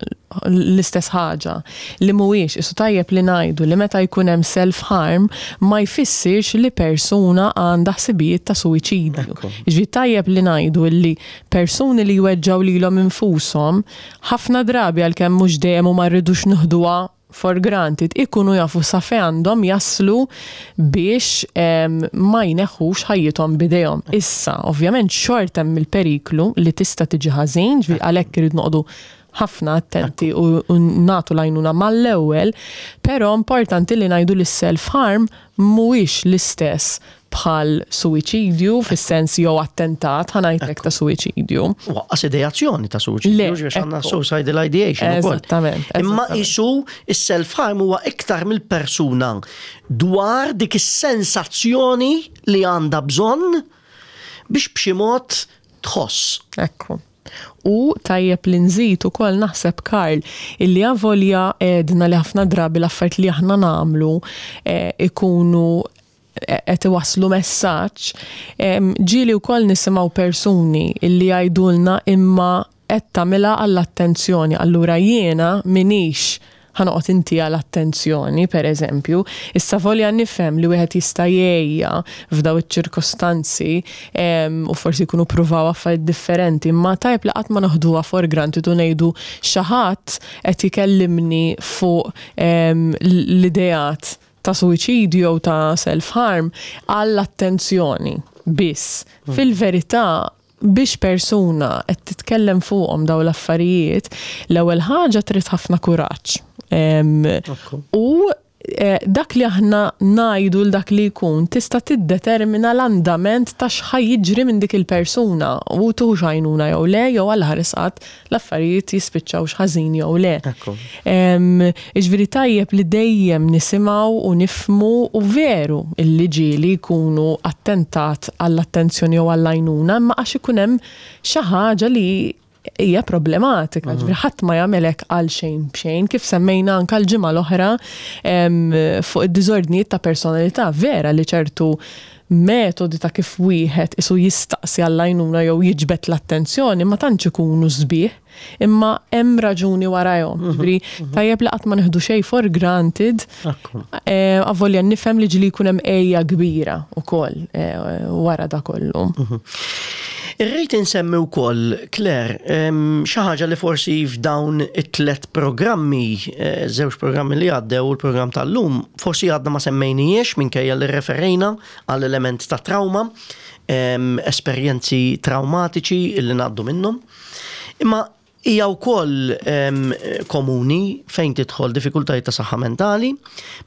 l-istess ħaġa li mhuwiex isu tajjeb li ngħidu li meta jkun hemm self-harm ma jfissirx li persuna għandha ħsibijiet ta' suwiċidju. Ġifieri tajjeb li ngħidu li persuni li jweġġgħu lilhom infushom ħafna drabi għalkemm mhux dejjem u ma rridux nieħduha for granted, ikunu jafu sa fejn għandhom jaslu biex ma jneħħux ħajjithom b'idejhom. Issa, ovvjament xorta hemm il-periklu li tista' tiġi ħażin, ġifieri għalhekk irid noqogħdu ħafna attenti u nagħtu l-għajnuna mal-ewwel, però importanti li ngħidu li self-harm mhuwiex l-istess bħal suwiċidju fis-sens jew attentat ħa ngħidlek ta' suwiċidju. Waqqas ideazzjoni ta' suwiċidju, ġifieri għandna suicidal ideation ukoll. Eżattament. Imma isu is-self-harm huwa iktar mill-persuna dwar dik is-sensazzjoni li għandha bżonn biex b'xi mod tħoss. Ekku. U tajjeb li nżid ukoll naħseb Karl illi avolja għedna li ħafna drabi l-affarijiet li aħna nagħmlu eh, ikunu eh, qed iwasslu messaġġ, ġieli wkoll nisimgħu persuni illi jgħidulna imma qed tagħmilha għall-attenzjoni, allura jiena minix ħa noqgħod intiha l-attenzjoni, per eżempju. Issa volja nifhem li wieħed jista' jgħejja f'daw iċ-ċirkostanzi u forsi jkunu pruvaw affarijiet differenti, imma tajjeb li qatt ma noħduha for granted u ngħidu xi ħadd qed ikellimni fuq l-ideat ta' suwiċidju jew ta' self-harm għall-attenzjoni biss. Fil-verità, biex persuna qed titkellem fuqhom daw l-affarijiet, l-ewwel ħaġa trid ħafna kuraġġ. U eh, dak li aħna ngħidu l dak li jkun tista' tiddetermina l-andament ta' x'ħa jiġri minn dik il-persuna u tuħux għajnuna jew le jew għal ħares qatt l-affarijiet jispiċċawx ħażin jew le. Jiġifieri tajjeb li dejjem nisimgħu u nifhmu u veru illi ġieli jkunu attentat għall-attenzjoni jew għall-għajnuna imma għax ikun hemm xi ħaġa li hija problematika, ġifieri ħadd ma jagħmel hekk għal xejn b'xejn, kif semmejna anke l-ġimgħa l-oħra fuq id-diżordnijiet ta' personalità, vera li ċertu metodi ta' kif wieħed isu jistaqsi għall-għajnuna jew jiġbed l-attenzjoni ma tantx ikunu sbieħ, imma hemm raġuni warajhom. Ġifieri tajjeb li qatt ma nieħdu xejn for granted. Eh, avolja nifhem li ġieli jkun hemm għeja kbira wkoll eh, wara da kollu. Irrid insemmi wkoll, Claire, xi ħaġa li forsi f'dawn it-tlet programmi, eh, żewġ programmi li għaddew u l-programm tal-lum, forsi għadna ma semmejnijiex minkejja li referejna għall element ta' trauma, esperjenzi traumatiċi li ngħaddu minnhom. Imma hija wkoll komuni fejn tidħol diffikultajiet ta' saħħa mentali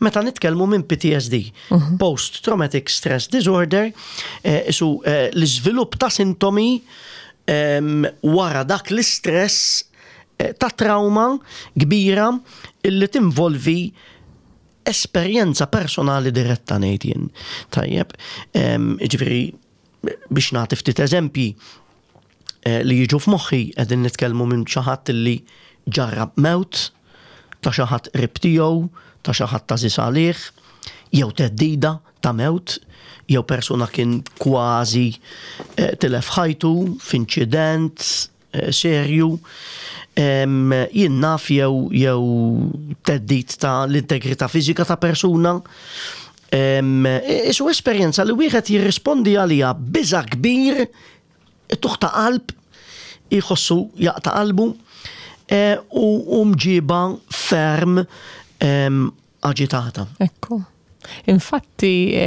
meta nitkellmu minn PTSD, mhm. Post Traumatic Stress Disorder, eh, isu eh, l-iżvilupp ta' sintomi wara dak l-istress eh, ta' trauma kbira illi tinvolvi esperjenza personali diretta ngħid jien. Tajjeb, ġifieri biex nagħti ftit eżempji eh, li jiġu f'moħħi qegħdin nitkellmu minn xi ħadd li ġarrab mewt ta' xi ħadd qrib tiegħu, ta' xi ħadd għażiż għalih, jew theddida ta' mewt jew persuna kien kważi tilef ħajtu f'inċident serju, jien naf jew jew theddid ta' l-integrità fiżika ta' persuna. Isu esperjenza li wieħed jirrispondi għaliha b'biża' kbir, tuħ ta' qalb, jħossu jaqta' qalbu u mġiba ferm aġitata. Ekku. Infatti,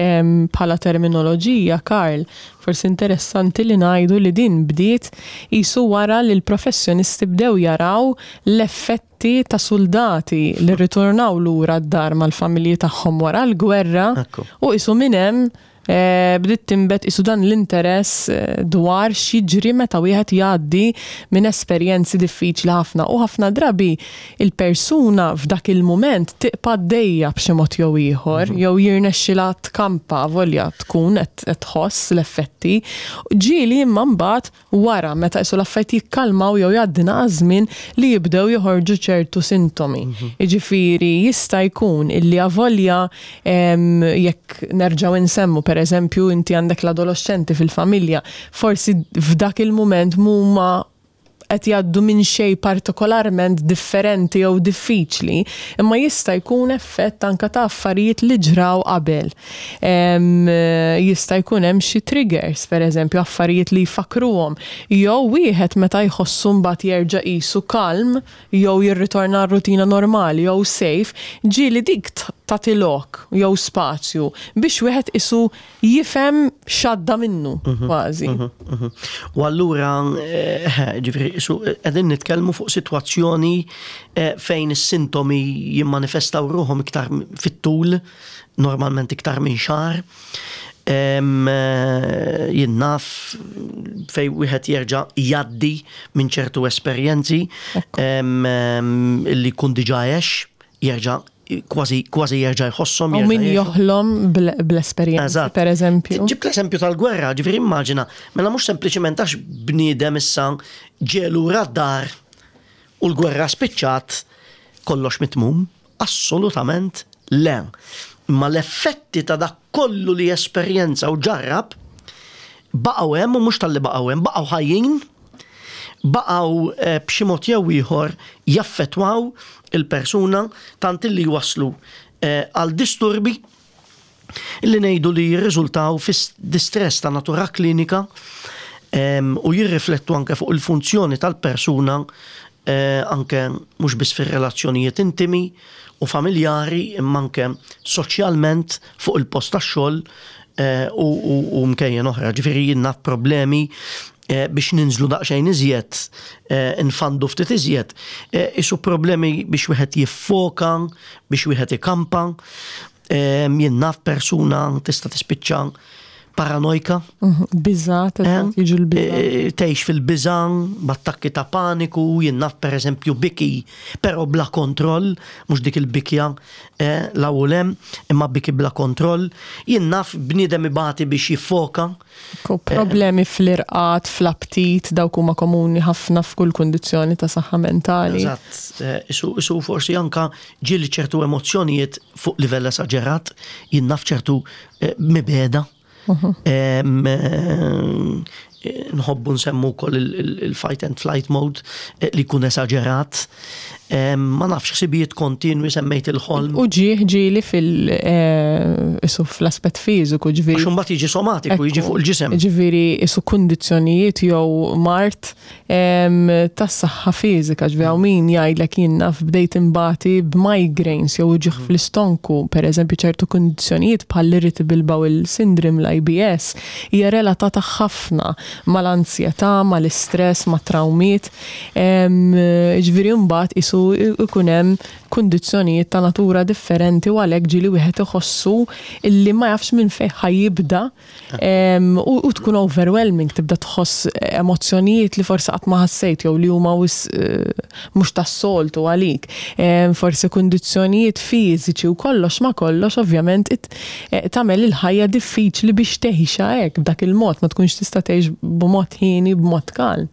bħala terminoloġija, Karl, forsi interessanti li ngħidu li din bdiet qisu wara li l-professjonisti bdew jaraw l-effetti ta' suldati li rritornaw lura d-dar mal-familji tagħhom wara l-gwerra u qisu minn hemm Bdiet tinbet qisu dan l-interess dwar x'jiġri meta wieħed jgħaddi minn esperjenzi diffiċli ħafna u ħafna drabi il-persuna f'dak il-mument tibqa' għaddejja b'xi mod jew ieħor jew jirnexxilha tkampa avolja tkun qed tħoss l-effetti. Ġieli imma mbagħad wara meta qisu l-affarijiet jikkalmaw jew jgħaddi naqa' żmien li jibdew joħorġu ċertu sintomi. Jiġifieri jista' jkun illi avolja jekk nerġgħu insemmu pereżempju inti għandek l-adoloxxenti fil-familja, forsi f'dak il-mument m'huma qed jgħaddu minn xejn partikolarment differenti jew diffiċli, imma jista' jkun effett anke ta' affarijiet li ġraw qabel. Jista' jkun hemm xi triggers, pereżempju, affarijiet li jfakkruhom, jew wieħed meta jħossu mbagħad jerġa' qisu kalm jew jirritorna għar-rutina normali jew safe, ġieli dik tagħti lok jew spazju biex wieħed qisu jifhem x'għadda minnu kważi. U allura, ġifieri, qegħdin nitkellmu fuq sitwazzjoni fejn is-sintomi jimmanifestaw ruħhom iktar fit-tul, normalment iktar minn xahar. Jien naf fejn wieħed jerġa' jgħaddi minn ċertu esperjenzi li jkun diġà għex, jerġa' kważi kważi jerġa' jħosshom. U min joħlom bl-esperjenza, per eżempju. Ġibt l-eżempju tal-gwerra, ġifieri immaġina, mela mhux sempliċement għax bniedem issa ġie lura d-dar u l-gwerra spiċċat kollox mitmum, assolutament le. Imma l-effetti ta' dak kollu li esperjenza u ġarrab baqgħu hemm u mhux talli baqgħu hemm, baqgħu ħajjin baqgħu b'xi mod jew ieħor jaffettwaw il-persuna tant illi jwasslu għal disturbi li ngħidu li jirriżultaw fi distress ta' natura klinika u jirriflettu anke fuq il-funzjoni tal-persuna anke mhux biss fir-relazzjonijiet intimi u familjari imma anke soċjalment fuq il-post tax-xogħol u mkejjen oħra. Ġifieri jien naf problemi biex ninżlu daqsxejn iżjed, nfandu ftit iżjed, isu problemi biex wieħed jiffoka, biex wieħed ikampa. Jien naf persuna tista' tispiċċa paranojka. Biża, jiġu l-biża. Tgħix fil-biża, b'attakki ta' paniku, jien naf pereżempju biki, però bla kontroll, mhux dik il-bikja 'l hawn u 'l hemm, imma biki bla kontroll. Jien naf bniedem ibati biex jiffoka. Problemi fl-irqad, fl-aptit, dawk huma komuni ħafna f'kull kundizzjoni ta' saħħa mentali. Eżatt, isu forsi anka ġieli ċertu emozzjonijiet fuq livell esaġerat, jien naf ċertu mibegħda. Nħobbu nsemmu wkoll il-fight and flight mode li jkun esaġerat. Ma nafx ħsibijiet kontinwi semmejt il-ħolm. U ġieħ ġieli fil isu fl-aspett fiżiku ġifieri. Għax imbagħad jiġi somatiku, jiġi fuq il-ġisem. Ġifieri isu kundizzjonijiet jew mard tas-saħħa fiżika, ġifieri hawn min jgħidlek jien naf bdejt inbati b'migraines jew uġigħ fl-istonku, pereżempju ċertu kundizzjonijiet bħall-irritable bowel syndrome, l-IBS, hija relatata ħafna mal-anzjetà, mal-istress, mat-trawmiet. Ġifieri mbagħad qisu jkun hemm kundizzjonijiet ta' natura differenti u għalhekk ġieli wieħed iħossu illi ma jafx minn fejn ħa jibda u tkun overwhelming, tibda tħoss emozzjonijiet li forsi qatt ma ħassejt jew li huma wisq mhux tas-soltu għalik. Forsi kundizzjonijiet fiżiċi u kollox ma' kollox ovvjament tagħmel il-ħajja diffiċli biex tgħixha hekk b'dak il-mod, ma tkunx tista' tgħix. b'mod ħieni, b'mod kalm.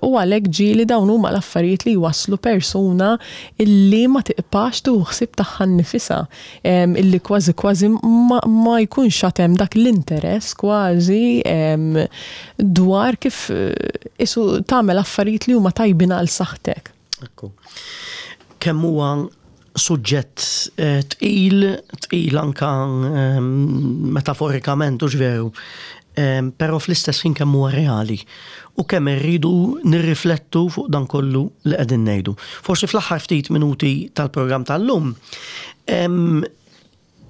U għalhekk ġieli dawn huma l-affarijiet li jwasslu persuna illi ma tiqpax tieħu ħsieb tagħha nnifisha, illi kważi kważi ma jkunx għad hemm dak l-interess kważi dwar kif isu tagħmel affarijiet li huma tajbin għal saħħtek. Ekku. Kemm huwa suġġett eh, tqil, tqil anka ehm, metaforikament u veru, ehm, però fl-istess ħin kemm huwa reali u kemm irridu nirriflettu fuq dan kollu li qegħdin ngħidu. Forsi fl-aħħar ftit minuti tal-programm tal-lum ehm,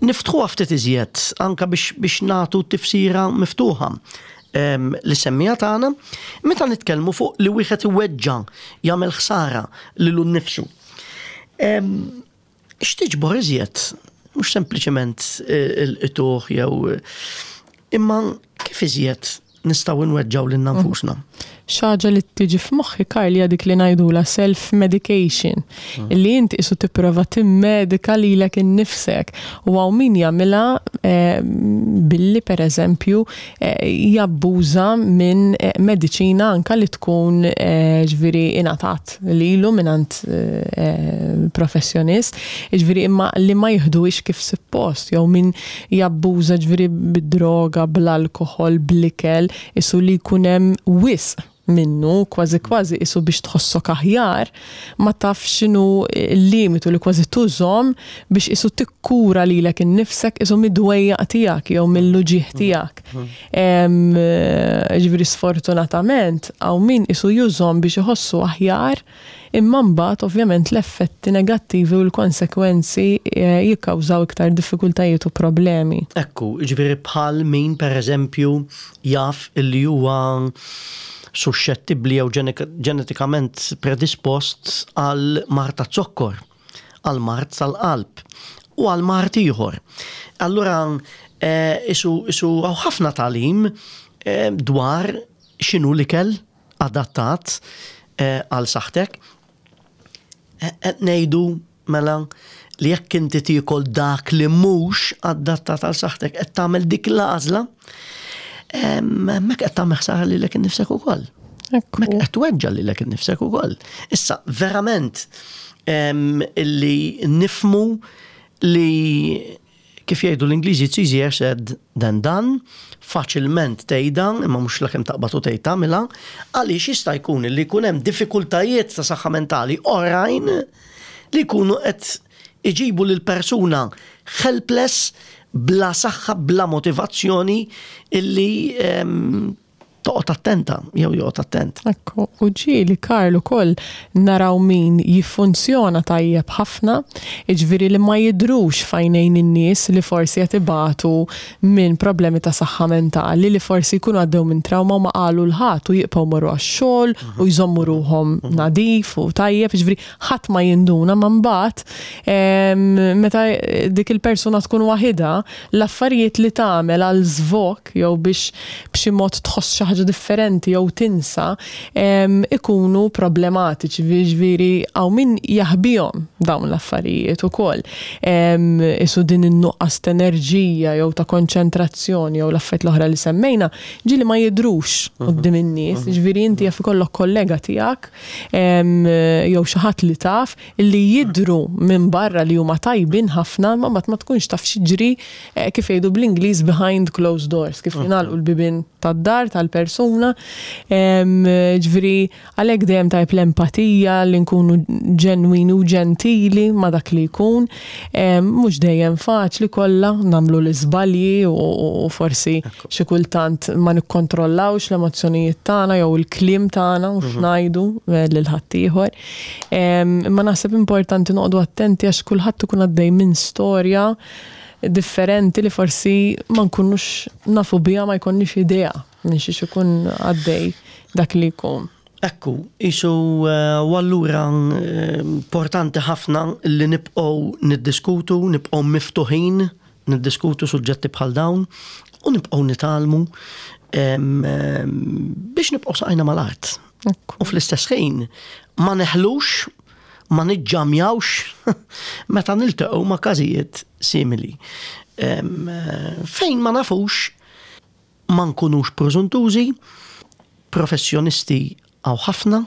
niftħuha ftit iżjed anka biex, biex nagħtu tifsira miftuħa li semmija tagħna meta nitkellmu fuq li wieħed iweġġa' jagħmel ħsara lilu nnifsu. X'tiġbor iżjed? Mhux sempliċement il-qtuħ jew imma kif iżjed nistgħu nweġġgħu lilna nfusna? Xi ħaġa li tiġi f'moħħi Karl hija dik li ngħidulha self-medication, li inti qisu tipprova timmedika lilek innifsek. U hawn min jagħmilha billi pereżempju jabbuża minn mediċina anke li tkun ġifieri ingħatat lilu mingħand professjonist, jiġifieri imma li ma jiħduhiex kif suppost, jew min jabbuża ġifieri bid-droga, bl-alkoħol, bl-ikel, qisu li jkun hemm wisq minnu, kważi kważi qisu biex tħossok aħjar, ma tafx x'inhu l-limitu li kważi tużhom biex qisu tikkura lilek innifsek qisu mid-dwejjaq tiegħek jew mill-uġigħ tiegħek. Ġifieri sfortunatament hawn min qisu jużhom biex iħossu aħjar imma mbagħad ovvjament l-effetti negattivi u l-konsekwenzi jikkawżaw iktar diffikultajiet u problemi. Ekku, jiġifieri bħal min pereżempju jaf illi huwa suxxettibbli jew ġenetikament predispost għal mard taz-zokkor. għal mard tal-qalb u għal mard ieħor. Allura eh, isu isu hawn ħafna tagħlim eh, dwar x'inhu l-ikel adattat eh, għal saħħtek. Qed ngħidu mela li jekk inti tiekol dak li mhux adattat għal saħħtek qed tagħmel dik l-għażla, hemmhekk qed tagħmel ħsara lilek innifsek ukoll. Mek qed tweġġa' lilek innifsek ukoll. Issa verament illi nifmu li kif jgħidu l-Ingliżi it's easier said than done, faċilment tgħidha, imma mhux lakemm taqbad u tgħid tagħmilha, għaliex jista' jkun li jkun hemm diffikultajiet ta' saħħa mentali oħrajn li jkunu qed iġibu lil persuna helpless, bla saħħa, bla motivazzjoni illi toqgħod attenta jew joqgħod attent. Ekku, u ġieli Karl ukoll naraw min jiffunzjona tajjeb ħafna, jiġifieri li ma jidhrux f'għajnejn in-nies li forsi qed ibatu minn problemi ta' saħħa mentali, li forsi jkunu għaddew minn trawma u ma qalu 'l ħadd u jibqgħu jmorru għax-xogħol u jżommu ruħhom nadif u tajjeb, jiġifieri ħadd ma jinduna ma mbagħad meta dik il-persuna tkun waħidha, l-affarijiet li tagħmel għal żvog jew biex b'xi mod tħoss xi ħaġa differenti jew tinsa ikunu problematiċi, jiġifieri hawn min jaħbihom dawn l-affarijiet ukoll. Isu din in-nuqqas ta' enerġija jew ta' konċentrazzjoni jew l-affarijiet l-oħra li semmejna, ġieli ma jidhrux quddiem in-nies, jiġifieri inti jaf ikollok kollega tiegħek jew xi ħadd li taf li jidhru minn barra li huma tajbin ħafna imma mbagħad ma tkunx taf x'jiġri eh, kif jgħidu bl-Ingliż behind closed doors, kif jingħalqu l-bibien tad-dar tal-persuna. Ġifieri għalhekk dejjem tajb l-empatija li nkunu ġenwini u ġentili ma' dak li jkun. Mhux dejjem faċli kollha nagħmlu l-iżbalji u forsi xi kultant ma nikkontrollawx l-emozzjonijiet tagħna jew il-kliem tagħna u x'ngħidu eh, lil ħaddieħor. Imma naħseb importanti noqogħdu attenti għax kulħadd ikun għaddej minn storja differenti li forsi ma nkunux nafu biha ma jkollniex idea minn xiex ikun għaddej dak li jkun. Ekku, isu eh, u allura eh, importanti ħafna li nibqgħu niddiskutu, nibqgħu miftuħin, niddiskutu suġġetti bħal dawn u nibqgħu nitgħallmu biex nibqgħu saqajna mal-art. U fl-istess ħin ma neħlux, ma niġġamjawx meta niltaqgħu ma' każijiet simili. Fejn ma nafux. Ma nkunux prożuntużi, professjonisti hawn ħafna,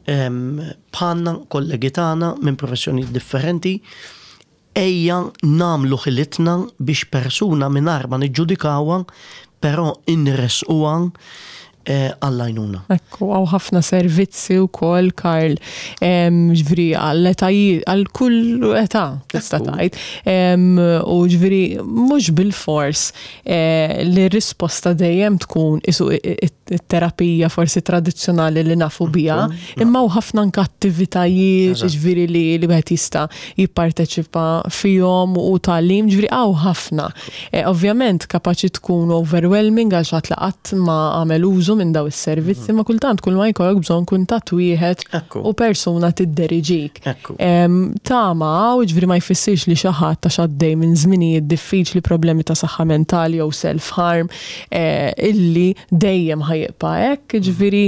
bħalna, kollegi tagħna minn professjonijiet differenti, ejja nagħmlu ħilitna biex persuna mingħajr ma niġġudikawha, però inressquha għall-għajnuna. Ekku, hawn ħafna servizzi wkoll, Karl, ġifieri għall-etajiet, għal kull età tista' tgħid. U ġifieri mhux bilfors li r-risposta dejjem tkun isu it-terapija forsi tradizzjonali li nafu biha, imma u ħafna anke attivitajiet ġifieri li li wieħed jista' jipparteċipa fihom u tagħlim, ġifieri hawn ħafna. Ovvjament kapaċi tkun overwhelming għal xi ħadd li qatt ma għamel użu minn daw is-servizzi, imma kultant kull ma jkollok bżonn kuntatt wieħed u persuna tidderiġik. Tama hawn, jiġifieri ma jfissirx li xi ħadd għax għaddej minn żminijiet diffiċli, problemi ta' saħħa mentali jew self-harm, illi dejjem ħa jibqa' hekk, jiġifieri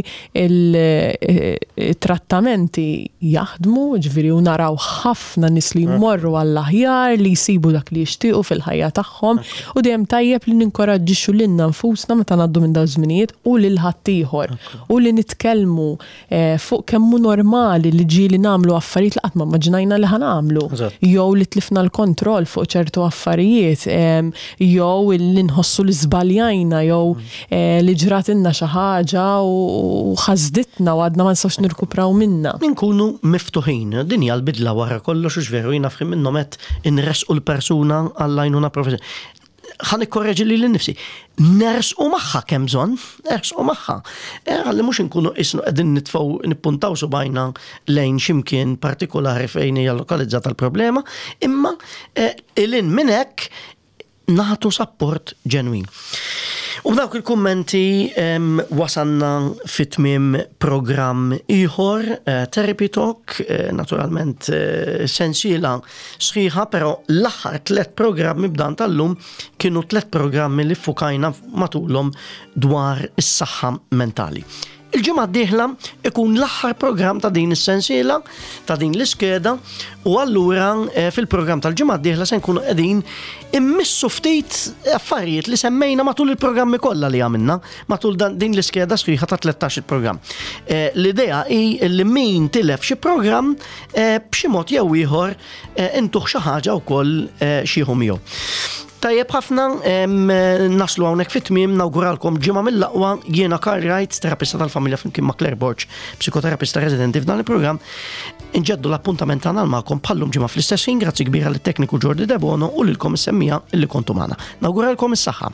il-trattamenti jaħdmu, jiġifieri u naraw ħafna nies li jmorru għall-aħjar, li jsibu dak li jixtiequ fil-ħajja tagħhom u dejjem tajjeb li ninkoraġġixxu lilna nfusna meta ngħaddu minn dawn iż-żminijiet u lil ħaddieħor u li nitkellmu fuq kemm hu normali li ġieli nagħmlu affarijiet li qatt ma immaġinajna li ħa nagħmlu. Jew li tlifna l-kontroll fuq ċertu affarijiet, jew li nħossu li żbaljajna jew li ġratilna xi ħaġa u ħasditna u għadna ma nistgħux nirkupraw minnha. Inkunu miftuħin. Din hija l-bidla wara kollox hux veru jiena f'ħin minnhom għedt inressqu l-persuna għall-għajnuna professjonali. Ħa nikkorreġi lili nnifsi. Nersqu magħha kemm bżonn, nersqu magħha. Eh, ħalli mhux inkunu qisnu qegħdin nitfgħu nippuntaw subgħajna lejn xi mkien partikolari fejn hija lokalizzata l-problema, imma eh, ilin minn hekk nagħtu sapport ġenwin. U b'dawk il-kummenti wasanna fi tmiem programm ieħor, eh, Therapy Talk, eh, naturalment eh, sensiela sħiħa, però l-aħħar tlet programmi b'dan tal-lum kienu tlet programmi li fukajna matulhom dwar is-saħħa mentali. Il-ġimgħa d-dieħla ikun l-aħħar programm ta' din is-sensiela, ta' din l-iskeda, u allura eh, fil-programm tal-ġimgħa d-dieħla se nkunu qegħdin immissu ftit affarijiet li semmejna matul il-programmi kollha li għamilna matul din l-iskeda sħiħa ta' 13 il-programm. Eh, l-idea hi li min tilef xi programm eh, b'xi mod jew ieħor intuh xi ħaġa wkoll xieħu miegħu. Tajjeb ħafna, naslu hawnhekk fit-tmiem nawguralkom ġimgħa mill-aqwa jiena Karl Wright, terapista tal-familja flimkien ma' Claire Borg, psikoterapista residenti f'dan il-programm. Inġeddu l-appuntament tagħna magħkom bħallum ġimgħa fl-istess ħin, grazzi kbira lit-tekniku Jordi Debono u lilkom is-semmija li kontu magħna. Nawguralkom is-saħħa.